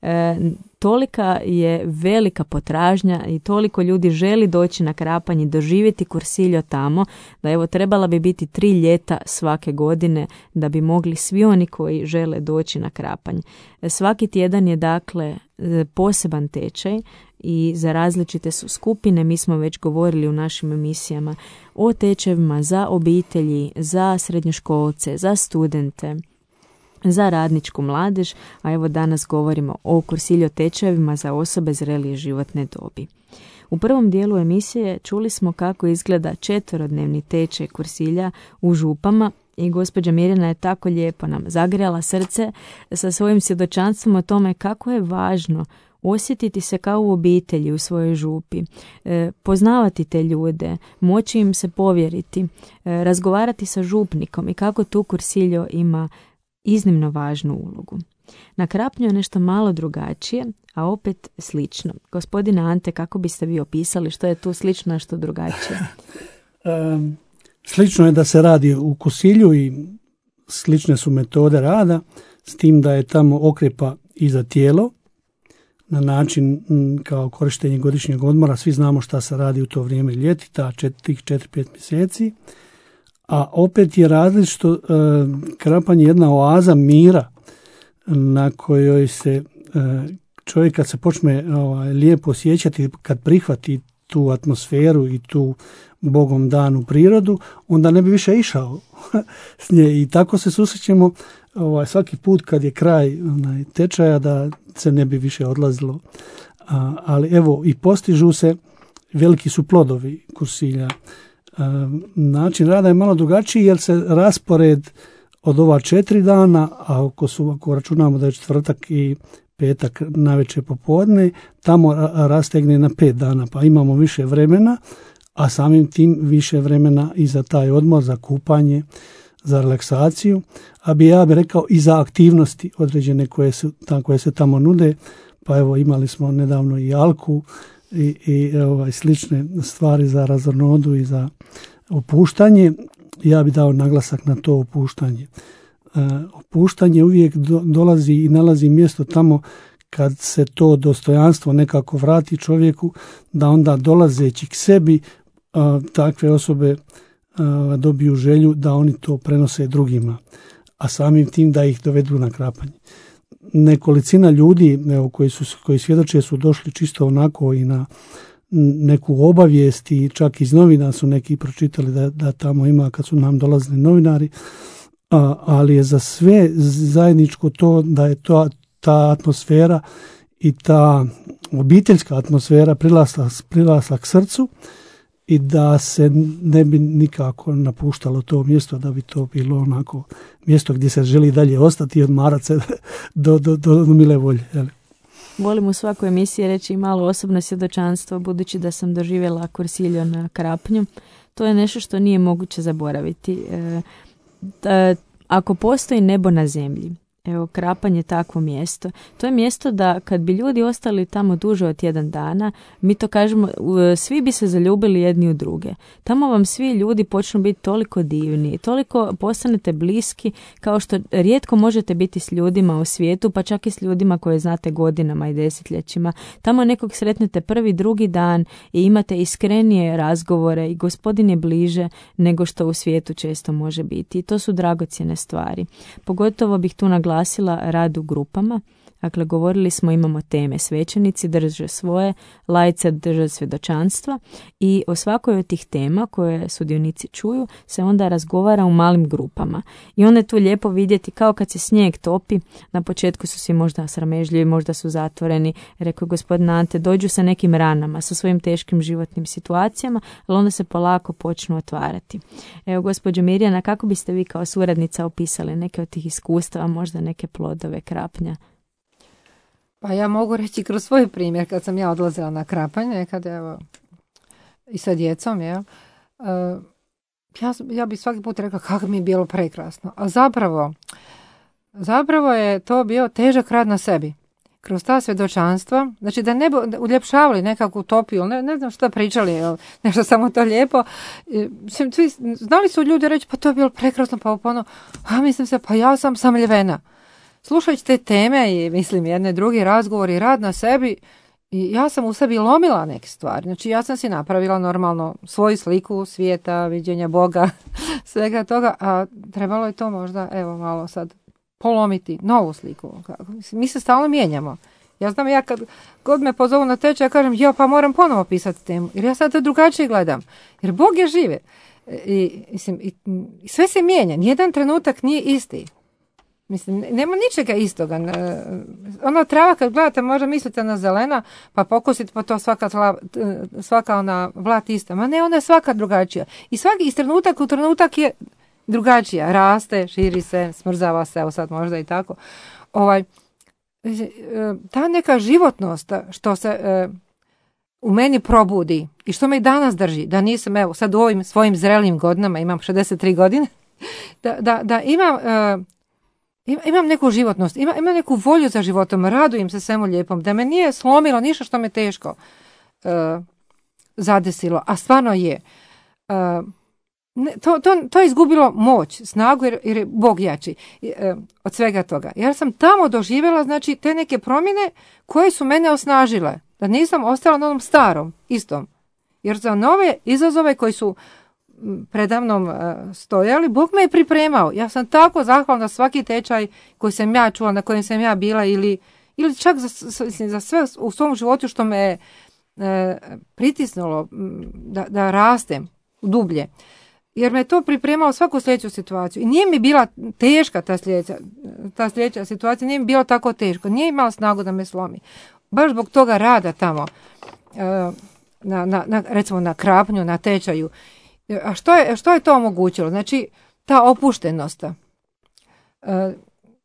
E, tolika je velika potražnja i toliko ljudi želi doći na Krapanj i doživjeti Kursiljo tamo, da evo trebala bi biti tri ljeta svake godine da bi mogli svi oni koji žele doći na Krapanj. E, svaki tjedan je dakle poseban tečaj i za različite su skupine. Mi smo već govorili u našim emisijama o tečajevima za obitelji, za srednjoškolce, za studente, za radničku mladež, a evo danas govorimo o Kursiljo tečajevima za osobe zrelije životne dobi. U prvom dijelu emisije čuli smo kako izgleda četverodnevni tečaj Kursilja u Župama i gospođa Mirjana je tako lijepo nam zagrijala srce sa svojim svjedočanstvom o tome kako je važno osjetiti se kao u obitelji u svojoj župi, e, poznavati te ljude, moći im se povjeriti, e, razgovarati sa župnikom i kako tu Kursiljo ima iznimno važnu ulogu. Na Krapnju je nešto malo drugačije, a opet slično. Gospodine Ante, kako biste vi opisali što je tu slično, a što drugačije? um, slično je da se radi u Kursilju i slične su metode rada, s tim da je tamo okrepa i za tijelo, na način m, kao korištenje godišnjeg odmora. Svi znamo šta se radi u to vrijeme ljeti, ta čet, tih četiri pet mjeseci. A opet je različito, e, Krapanj je jedna oaza mira na kojoj se e, čovjek kad se počne ovaj, lijepo osjećati, kad prihvati tu atmosferu i tu Bogom danu prirodu, onda ne bi više išao s nje. I tako se susrećemo ovaj, svaki put kad je kraj onaj, tečaja da se ne bi više odlazilo. A, ali evo i postižu se, veliki su plodovi Kursilja. Način rada je malo drugačiji jer se raspored od ova četiri dana, a ako, su, ako računamo da je četvrtak i petak navečer popodne, tamo rastegne na pet dana, pa imamo više vremena, a samim tim više vremena i za taj odmor, za kupanje, za relaksaciju, a bi ja bi rekao i za aktivnosti određene koje, su, tam, koje se tamo nude, pa evo imali smo nedavno i alku, i, i ovaj, slične stvari za razornodu i za opuštanje. Ja bi dao naglasak na to opuštanje. E, opuštanje uvijek do, dolazi i nalazi mjesto tamo kad se to dostojanstvo nekako vrati čovjeku, da onda dolazeći k sebi a, takve osobe a, dobiju želju da oni to prenose drugima, a samim tim da ih dovedu na Krapanj. Nekolicina ljudi evo, koji, su, koji svjedoče su došli čisto onako i na neku obavijest i čak iz novina su neki pročitali da, da tamo ima kad su nam dolazili novinari, a, ali je za sve zajedničko to da je to, ta atmosfera i ta obiteljska atmosfera prilazla, prilazla k srcu i da se ne bi nikako napuštalo to mjesto, da bi to bilo onako mjesto gdje se želi dalje ostati i odmarati se do, do, do, do mile volje. Jel? Volim u svakoj emisiji reći malo osobno svjedočanstvo, budući da sam doživjela Kursiljo na Krapnju. To je nešto što nije moguće zaboraviti. E, da, ako postoji nebo na zemlji, evo, Krapanj je takvo mjesto. To je mjesto da kad bi ljudi ostali tamo duže od tjedan dana, mi to kažemo, svi bi se zaljubili jedni u druge. Tamo vam svi ljudi počnu biti toliko divni, toliko postanete bliski, kao što rijetko možete biti s ljudima u svijetu, pa čak i s ljudima koje znate godinama i desetljećima. Tamo nekog sretnete prvi, drugi dan i imate iskrenije razgovore i Gospodin je bliže nego što u svijetu često može biti. I to su dragocjene stvari. Pogotovo bih tu naglasila rad u grupama. Dakle, govorili smo, imamo teme. Svećenici drže svoje, laice drže svjedočanstva i o svakoj od tih tema koje sudionici čuju se onda razgovara u malim grupama. I onda je tu lijepo vidjeti kao kad se snijeg topi, na početku su svi možda sramežljivi, možda su zatvoreni, rekao je gospodin Ante, dođu sa nekim ranama, sa svojim teškim životnim situacijama, ali onda se polako počnu otvarati. Evo, gospođo Mirjana, kako biste vi kao suradnica opisali neke od tih iskustava, možda neke plodove krapnja? Pa ja mogu reći kroz svoj primjer, kad sam ja odlazila na krapanje, kad evo, i sa djecom, ja, uh, ja, ja bi svaki put rekla kako mi je bilo prekrasno. A zapravo, zapravo je to bio težak rad na sebi. Kroz ta svjedočanstva, znači da ne bi uljepšavali nekakvu utopiju, ne, ne znam šta pričali, jel, nešto samo to lijepo. Svi, znali su ljudi reći, pa to je bilo prekrasno, pa ono, a mislim se, pa ja sam samljevena. Slušajući te teme i mislim jedne drugi razgovor i rad na sebi, i ja sam u sebi lomila neke stvari. Znači ja sam si napravila normalno svoju sliku svijeta, viđenja Boga, svega toga, a trebalo je to možda, evo malo sad, polomiti novu sliku. Mi se stalno mijenjamo. Ja znam, ja kad god me pozovu na tečaj, ja kažem, jo, pa moram ponovo pisati temu, jer ja sad to drugačije gledam. Jer Bog je žive. I, mislim, i, i sve se mijenja. Nijedan trenutak nije isti. Mislim, nema ničega istoga. Ono trava kad gledate, možda mislite na zelena, pa pokusite pa to svaka, tla, svaka ona vlat ista. Ma ne, ona je svaka drugačija. I svaki iz trenutak u trenutak je drugačija. Raste, širi se, smrzava se, evo sad možda i tako. Ovaj, ta neka životnost što se uh, u meni probudi i što me i danas drži, da nisam, evo sad u ovim svojim zrelim godinama, imam šezdeset tri godine, da, da, da imam... Uh, Imam neku životnost, imam, imam neku volju za životom, radujem se svemu lijepom, da me nije slomilo ništa što me teško uh, zadesilo, a stvarno je. Uh, ne, to, to, to je izgubilo moć, snagu jer, jer je Bog jači uh, od svega toga. Ja sam tamo doživjela, znači, te neke promjene koje su mene osnažile, da nisam ostala na onom starom, istom. Jer za nove izazove koji su predavnom stojali, Bog me je pripremao. Ja sam tako zahvalna za svaki tečaj koji sam ja čula, na kojem sam ja bila, ili, ili čak za, za sve u svom životu što me je e, pritisnulo da, da rastem dublje. Jer me je to pripremalo svaku sljedeću situaciju. I nije mi bila teška ta sljedeća, ta sljedeća situacija, nije mi bilo tako teško. Nije imala snagu da me slomi. Baš zbog toga rada tamo, e, na, na, na, recimo na krapnju, na tečaju. A što je, što je to omogućilo? Znači, ta opuštenost, uh,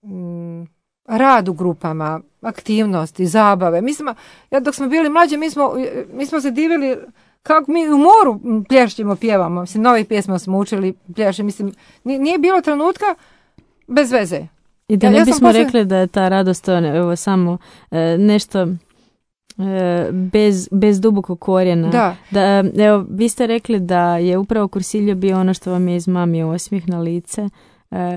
m, rad u grupama, aktivnosti, zabave. Mi smo, ja dok smo bili mlađi, mi smo, mi smo se divili kako mi u moru plješćemo, pjevamo. Mislim, nove pjesme smo učili, plješe. Mislim, nije bilo trenutka bez veze. I da ja, ne ja bismo poslije... rekli da je ta radost evo, samo e, nešto... Bez, bez dubokog korijena. Da. Da, evo, vi ste rekli da je upravo kursiljo bio ono što vam je izmamio osmijeh na lice e,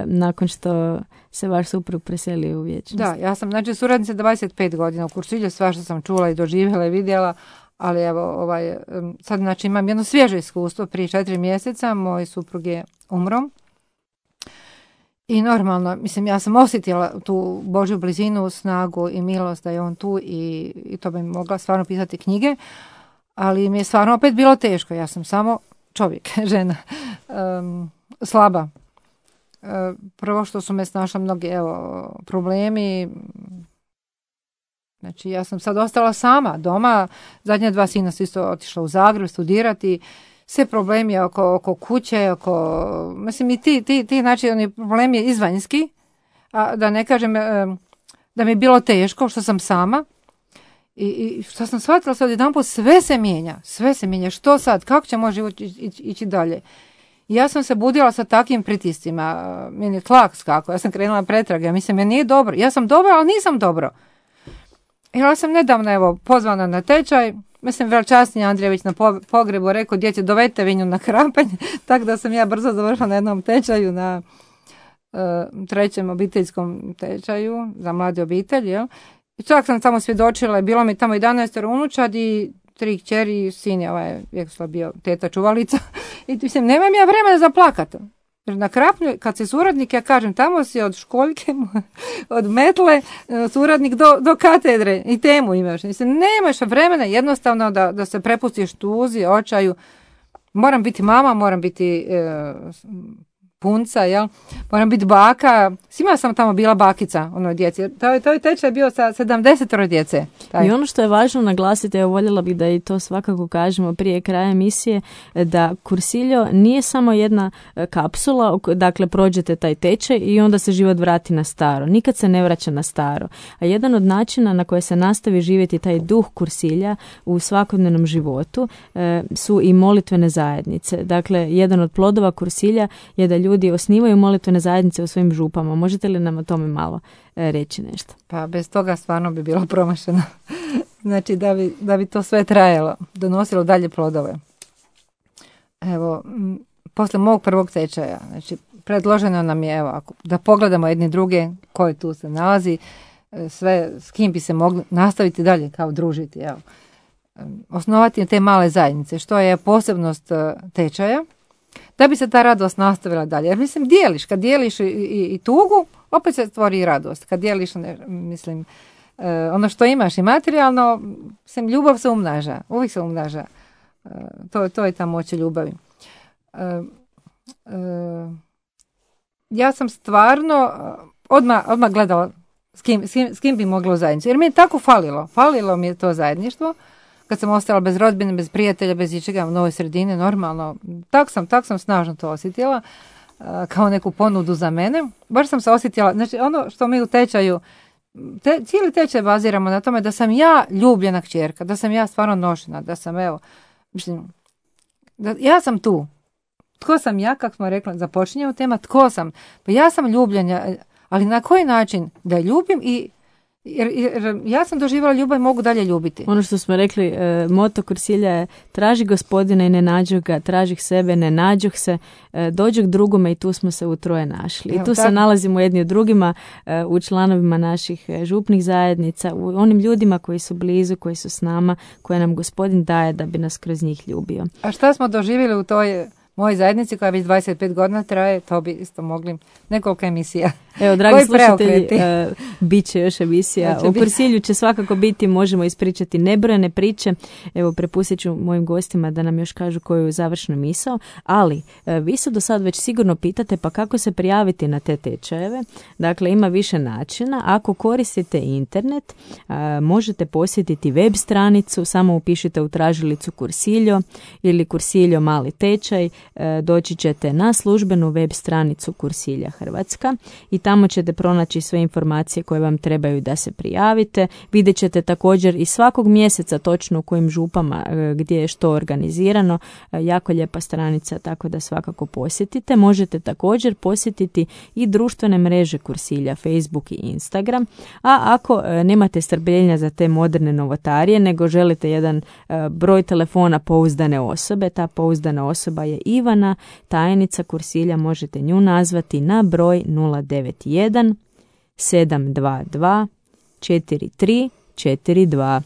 nakon što se vaš suprug preselio u vječnost. Da, ja sam znači suradnica dvadeset pet godina u kursilju, sva što sam čula i doživjela i vidjela, ali evo ovaj, sad znači imam jedno svježe iskustvo. Prije četiri mjeseca moj suprug je umro. I normalno, mislim, ja sam osjetila tu Božju blizinu, snagu i milost da je on tu i, i to bi mogla stvarno pisati knjige, ali mi je stvarno opet bilo teško. Ja sam samo čovjek, žena, um, slaba. Uh, prvo što su me snašla mnogi evo, problemi. Znači, ja sam sad ostala sama doma. Zadnja dva sina su isto otišla u Zagreb studirati. Sve problemi oko, oko kuće, oko, mislim i ti, ti, ti znači oni problemi izvanjski, a da ne kažem da mi je bilo teško što sam sama i, i što sam shvatila sad jedanput sve se mijenja, sve se mijenja, što sad, kako će moj život ići, ići dalje. I ja sam se budila sa takvim pritiscima, meni je tlak skako, ja sam krenula pretrage, mislim, meni nije dobro, ja sam dobro, ali nisam dobro. I ja sam nedavno evo pozvana na tečaj. Mislim, Velčasni Andrijević na pogrebu rekao, djeci, dovedite vinju na krapanje, tako da sam ja brzo završila na jednom tečaju, na uh, trećem obiteljskom tečaju za mlade obitelji. Jel? I čak sam tamo svjedočila, bilo mi tamo jedanaest unučad i tri kćeri i sin je ovaj Vjekoslav bio teta čuvalica. I mislim, nemam ja vremena za plakat. Jer na Krapnju, kad si suradnik, ja kažem, tamo si od školjke, od metle, suradnik do, do katedre i temu imaš. Mislim, nemaš vremena jednostavno da, da se prepustiš tuzi, očaju. Moram biti mama, moram biti e, punca, jel? Moram biti baka. Svima sam tamo bila bakica onoj djeci. To, to je tečaj bio sa sedamdesetoro djece. Taj. I ono što je važno naglasiti, evo voljela bih da i to svakako kažemo prije kraja emisije, da kursiljo nije samo jedna kapsula, dakle prođete taj tečaj i onda se život vrati na staro. Nikad se ne vraća na staro. A jedan od načina na koje se nastavi živjeti taj duh kursilja u svakodnevnom životu e, su i molitvene zajednice. Dakle, jedan od plodova kursilja je da ljudi osnivaju molitvene zajednice u svojim župama. Možete li nam o tome malo e, reći nešto? Pa bez toga stvarno bi bilo promašeno. Znači da bi, da bi to sve trajalo, donosilo dalje plodove. Evo, m, posle mog prvog tečaja, znači predloženo nam je, evo, ako, da pogledamo jedni druge koji tu se nalazi, sve s kim bi se mogli nastaviti dalje kao družiti, evo. Osnovati te male zajednice, što je posebnost tečaja, da bi se ta radost nastavila dalje. Jer mislim, dijeliš, kad dijeliš i, i, i tugu, opet se stvori i radost. Kad dijeliš, ne, mislim, e, ono što imaš i materijalno, mislim, ljubav se umnaža, uvijek se umnaža. E, to, to je ta moć ljubavi. E, e, ja sam stvarno odmah, odmah gledala s kim, s, kim, s kim bi mogla u zajednicu. Jer mi je tako falilo. Falilo mi je to zajedništvo. Kad sam ostala bez rodbine, bez prijatelja, bez ičega u novoj sredini, normalno, tak sam, tak sam snažno to osjetila, kao neku ponudu za mene. Baš sam se osjetila, znači ono što mi u tečaju, te, cijeli tečaj baziramo na tome da sam ja ljubljena kćerka, da sam ja stvarno nošena, da sam, evo, mislim, da ja sam tu. Tko sam ja, kako smo rekli, započinjemo tema, tko sam? Pa ja sam ljubljena, ali na koji način da je ljubim i Jer, jer ja sam doživjela ljubav i mogu dalje ljubiti. Ono što smo rekli, e, moto kursilja je traži gospodina i ne nađu ga, traži sebe, ne nađu se, e, dođu k drugome i tu smo se utroje našli. Evo, I tu tak. se nalazimo jedni od drugima e, u članovima naših župnih zajednica, u onim ljudima koji su blizu, koji su s nama, koje nam gospodin daje da bi nas kroz njih ljubio. A šta smo doživjeli u toj mojoj zajednici koja već dvadeset pet godina traje, to bi isto mogli nekoliko emisija. Evo, dragi slušatelji, uh, bit će još emisija. U kursilju će svakako biti, možemo ispričati nebrojene priče. Evo, prepustit ću mojim gostima da nam još kažu koju je završnu misao, ali uh, vi se do sad već sigurno pitate pa kako se prijaviti na te tečajeve. Dakle, ima više načina. Ako koristite internet, uh, možete posjetiti web stranicu, samo upišite u tražilicu kursiljo ili kursiljo mali tečaj, uh, doći ćete na službenu web stranicu Kursilja Hrvatska i tamo ćete pronaći sve informacije koje vam trebaju da se prijavite. Vidjet ćete također i svakog mjeseca točno u kojim župama gdje je što organizirano. Jako lijepa stranica, tako da svakako posjetite. Možete također posjetiti i društvene mreže Kursilja, Facebook i Instagram. A ako nemate strpljenja za te moderne novotarije, nego želite jedan broj telefona pouzdane osobe, ta pouzdana osoba je Ivana, tajnica Kursilja, možete nju nazvati na broj nula devet jedan sedam dva dva četiri tri četiri dva.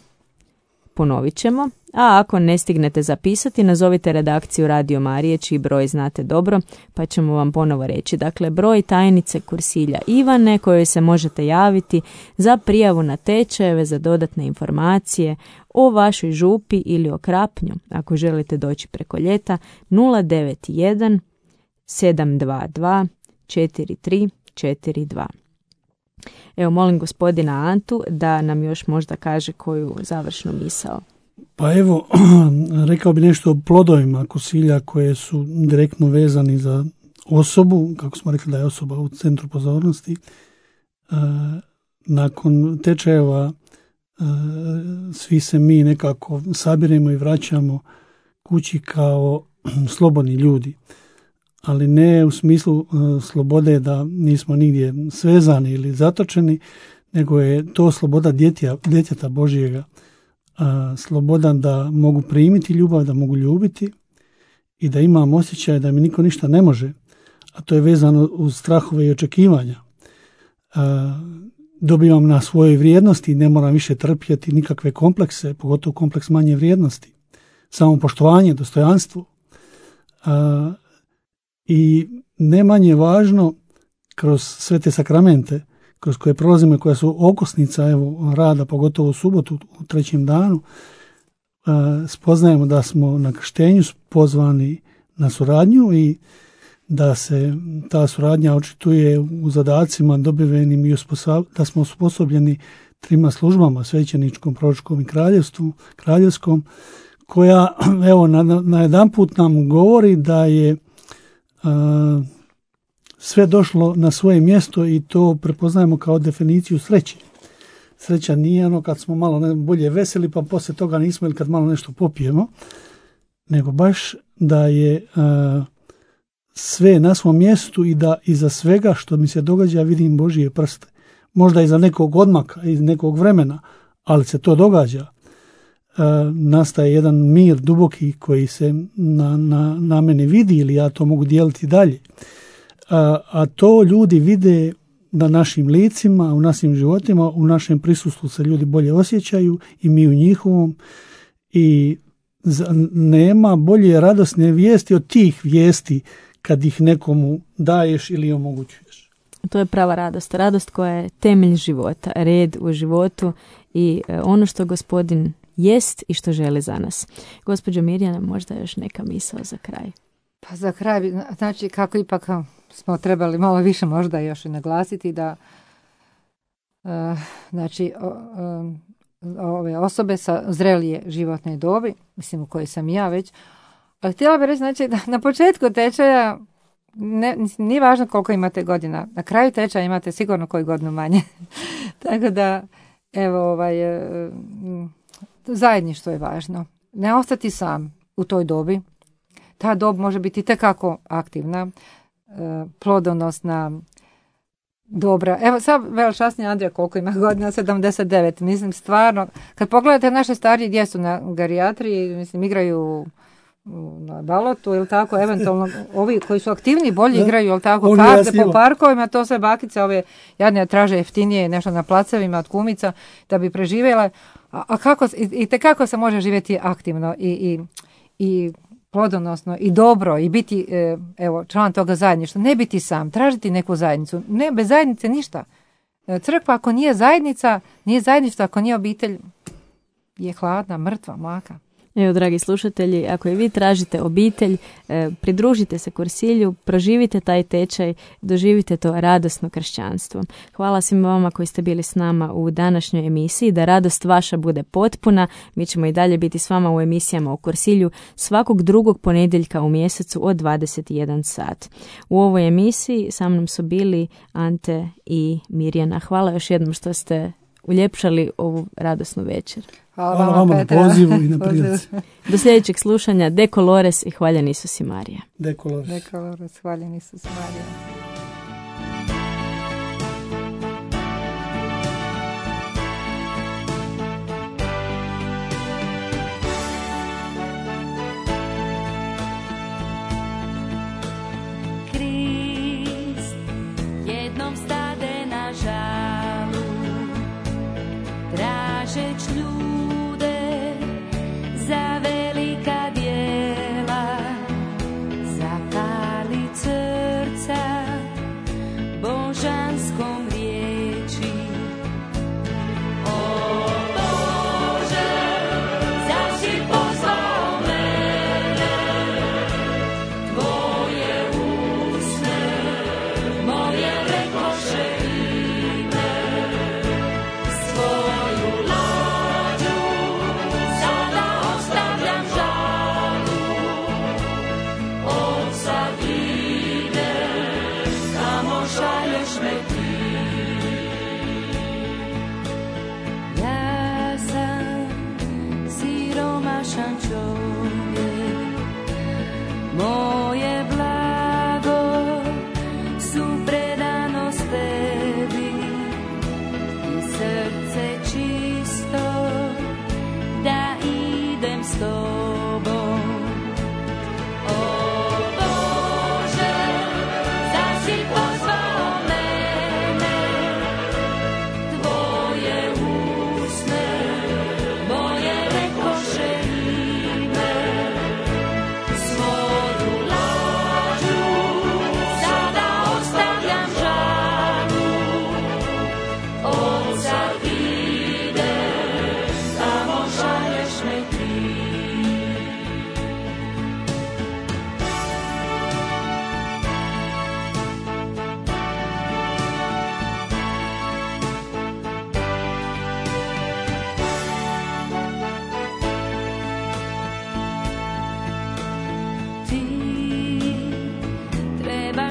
Ponovit ćemo, a ako ne stignete zapisati, nazovite redakciju Radio Marije, čiji broj znate dobro, pa ćemo vam ponovo reći. Dakle, broj tajnice Kursilja Ivane, kojoj se možete javiti za prijavu na tečajeve, za dodatne informacije o vašoj župi ili o Krapnju, ako želite doći preko ljeta, nula devet jedan sedam dva dva četiri tri četiri dva. Evo, molim gospodina Antu da nam još možda kaže koju završnu misao. Pa evo, rekao bi nešto o plodovima kursilja koje su direktno vezani za osobu, kako smo rekli da je osoba u centru pozornosti. E, nakon tečajeva e, svi se mi nekako sabiremo i vraćamo kući kao slobodni ljudi. Ali ne u smislu uh, slobode da nismo nigdje svezani ili zatočeni, nego je to sloboda djetja, djeteta Božjega. Uh, sloboda da mogu primiti ljubav, da mogu ljubiti i da imam osjećaj da mi niko ništa ne može, a to je vezano uz strahove i očekivanja. Uh, dobivam na svojoj vrijednosti, ne moram više trpjeti nikakve komplekse, pogotovo kompleks manje vrijednosti. Samopoštovanje, dostojanstvo. Uh, I ne manje važno kroz sve te sakramente kroz koje prolazimo, koja su okosnica evo, rada, pogotovo u subotu, u trećem danu, spoznajemo da smo na krštenju pozvani na suradnju i da se ta suradnja očituje u zadacima dobivenim i da smo osposobljeni trima službama, svećeničkom, proročkom i kraljevstvu, kraljevskom, koja evo na, na jedan put nam govori da je a, sve došlo na svoje mjesto i to prepoznajemo kao definiciju sreće. Sreća nije ono kad smo malo ne, bolje veseli pa poslije toga nismo ili kad malo nešto popijemo, nego baš da je a, sve na svom mjestu i da iza svega što mi se događa vidim Božije prste. Možda iza nekog odmaka, iz nekog vremena, ali se to događa. E, nastaje jedan mir duboki koji se na, na, na mene vidi ili ja to mogu dijeliti dalje. A, a to ljudi vide na našim licima, u našim životima, u našem prisustvu se ljudi bolje osjećaju i mi u njihovom i nema bolje radosne vijesti od tih vijesti kad ih nekomu daješ ili omogućuješ. To je prava radost. Radost koja je temelj života, red u životu i ono što Gospodin jest i što želi za nas. Gospođo Mirjana, možda još neka misao za kraj. Pa za kraj, znači kako ipak smo trebali malo više možda još i naglasiti da uh, znači o, um, ove osobe sa zrelije životne dobi, mislim u kojoj sam ja već, ali htjela bih reći znači, da na početku tečaja ne, nije važno koliko imate godina, na kraju tečaja imate sigurno koju godinu manje. Tako da, evo, ovaj, zajedništvo je važno. Ne ostati sam u toj dobi. Ta dob može biti itekako aktivna, plodonosna, dobra. Evo sad velčasni Andrija koliko ima godina, sedamdeset devet. Mislim stvarno, kad pogledate naše starije gdje su na gerijatriji, mislim igraju na balotu ili tako, eventualno ovi koji su aktivni bolje igraju, ili tako, karte po parkovima, to sve bakice ove jadne traže jeftinije nešto na placevima od kumica da bi preživjela. A, a kako, i, i te kako se može živjeti aktivno i, i, i plodonosno i dobro i biti e, evo član toga zajedništva, ne biti sam, tražiti neku zajednicu, ne bez zajednice ništa. E, crkva ako nije zajednica, nije zajedništvo, ako nije obitelj, je hladna, mrtva, mlaka. Evo, dragi slušatelji, ako i vi tražite obitelj, eh, pridružite se Kursilju, proživite taj tečaj, doživite to radosno kršćanstvo. Hvala svima vama koji ste bili s nama u današnjoj emisiji, da radost vaša bude potpuna. Mi ćemo i dalje biti s vama u emisijama o Kursilju svakog drugog ponedjeljka u mjesecu od dvadeset jedan sat. U ovoj emisiji sa mnom su bili Ante i Mirjana. Hvala još jednom što ste uljepšali ovu radosnu večer. Hvala, Hvala vama na pozivu i na prilici. Do sljedećeg slušanja. De Colores i hvaljen Isus i Marija. De Colores. De Colores, hvaljen Isus i Marija. Krist jednom stade na žalu, tražeć ljude za velika djela, zapali srca božanskom riječi. O Bože, zašto si poslao mene, tvoje usne, moje rekoše ime, svoju lađu sada ostavljam žalu, od sad idem, kamo šalješ me ti. Ja sam siromašan čovjek, moje blago su predanost tebi i srce čisto da idem s tobom. O Bože, zašto si pozvao mene,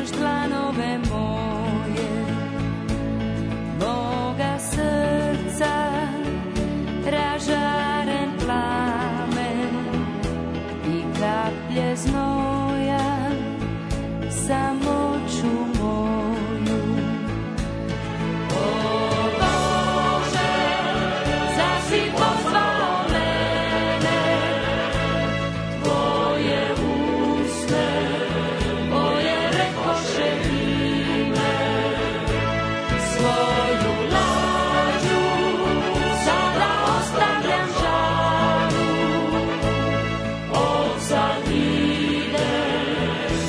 otvaraš dlanove moje, moga srca ražaren plamen i kaplje znoja samoću moju. O Bože, zar si pozvao mene, tvoje usne, moje rekoše ime, svoju lađu sada ostavljam žaru, od sad ide,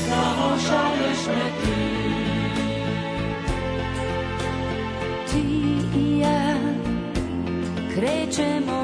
samo šalješ me ti. Ti i ja krećemo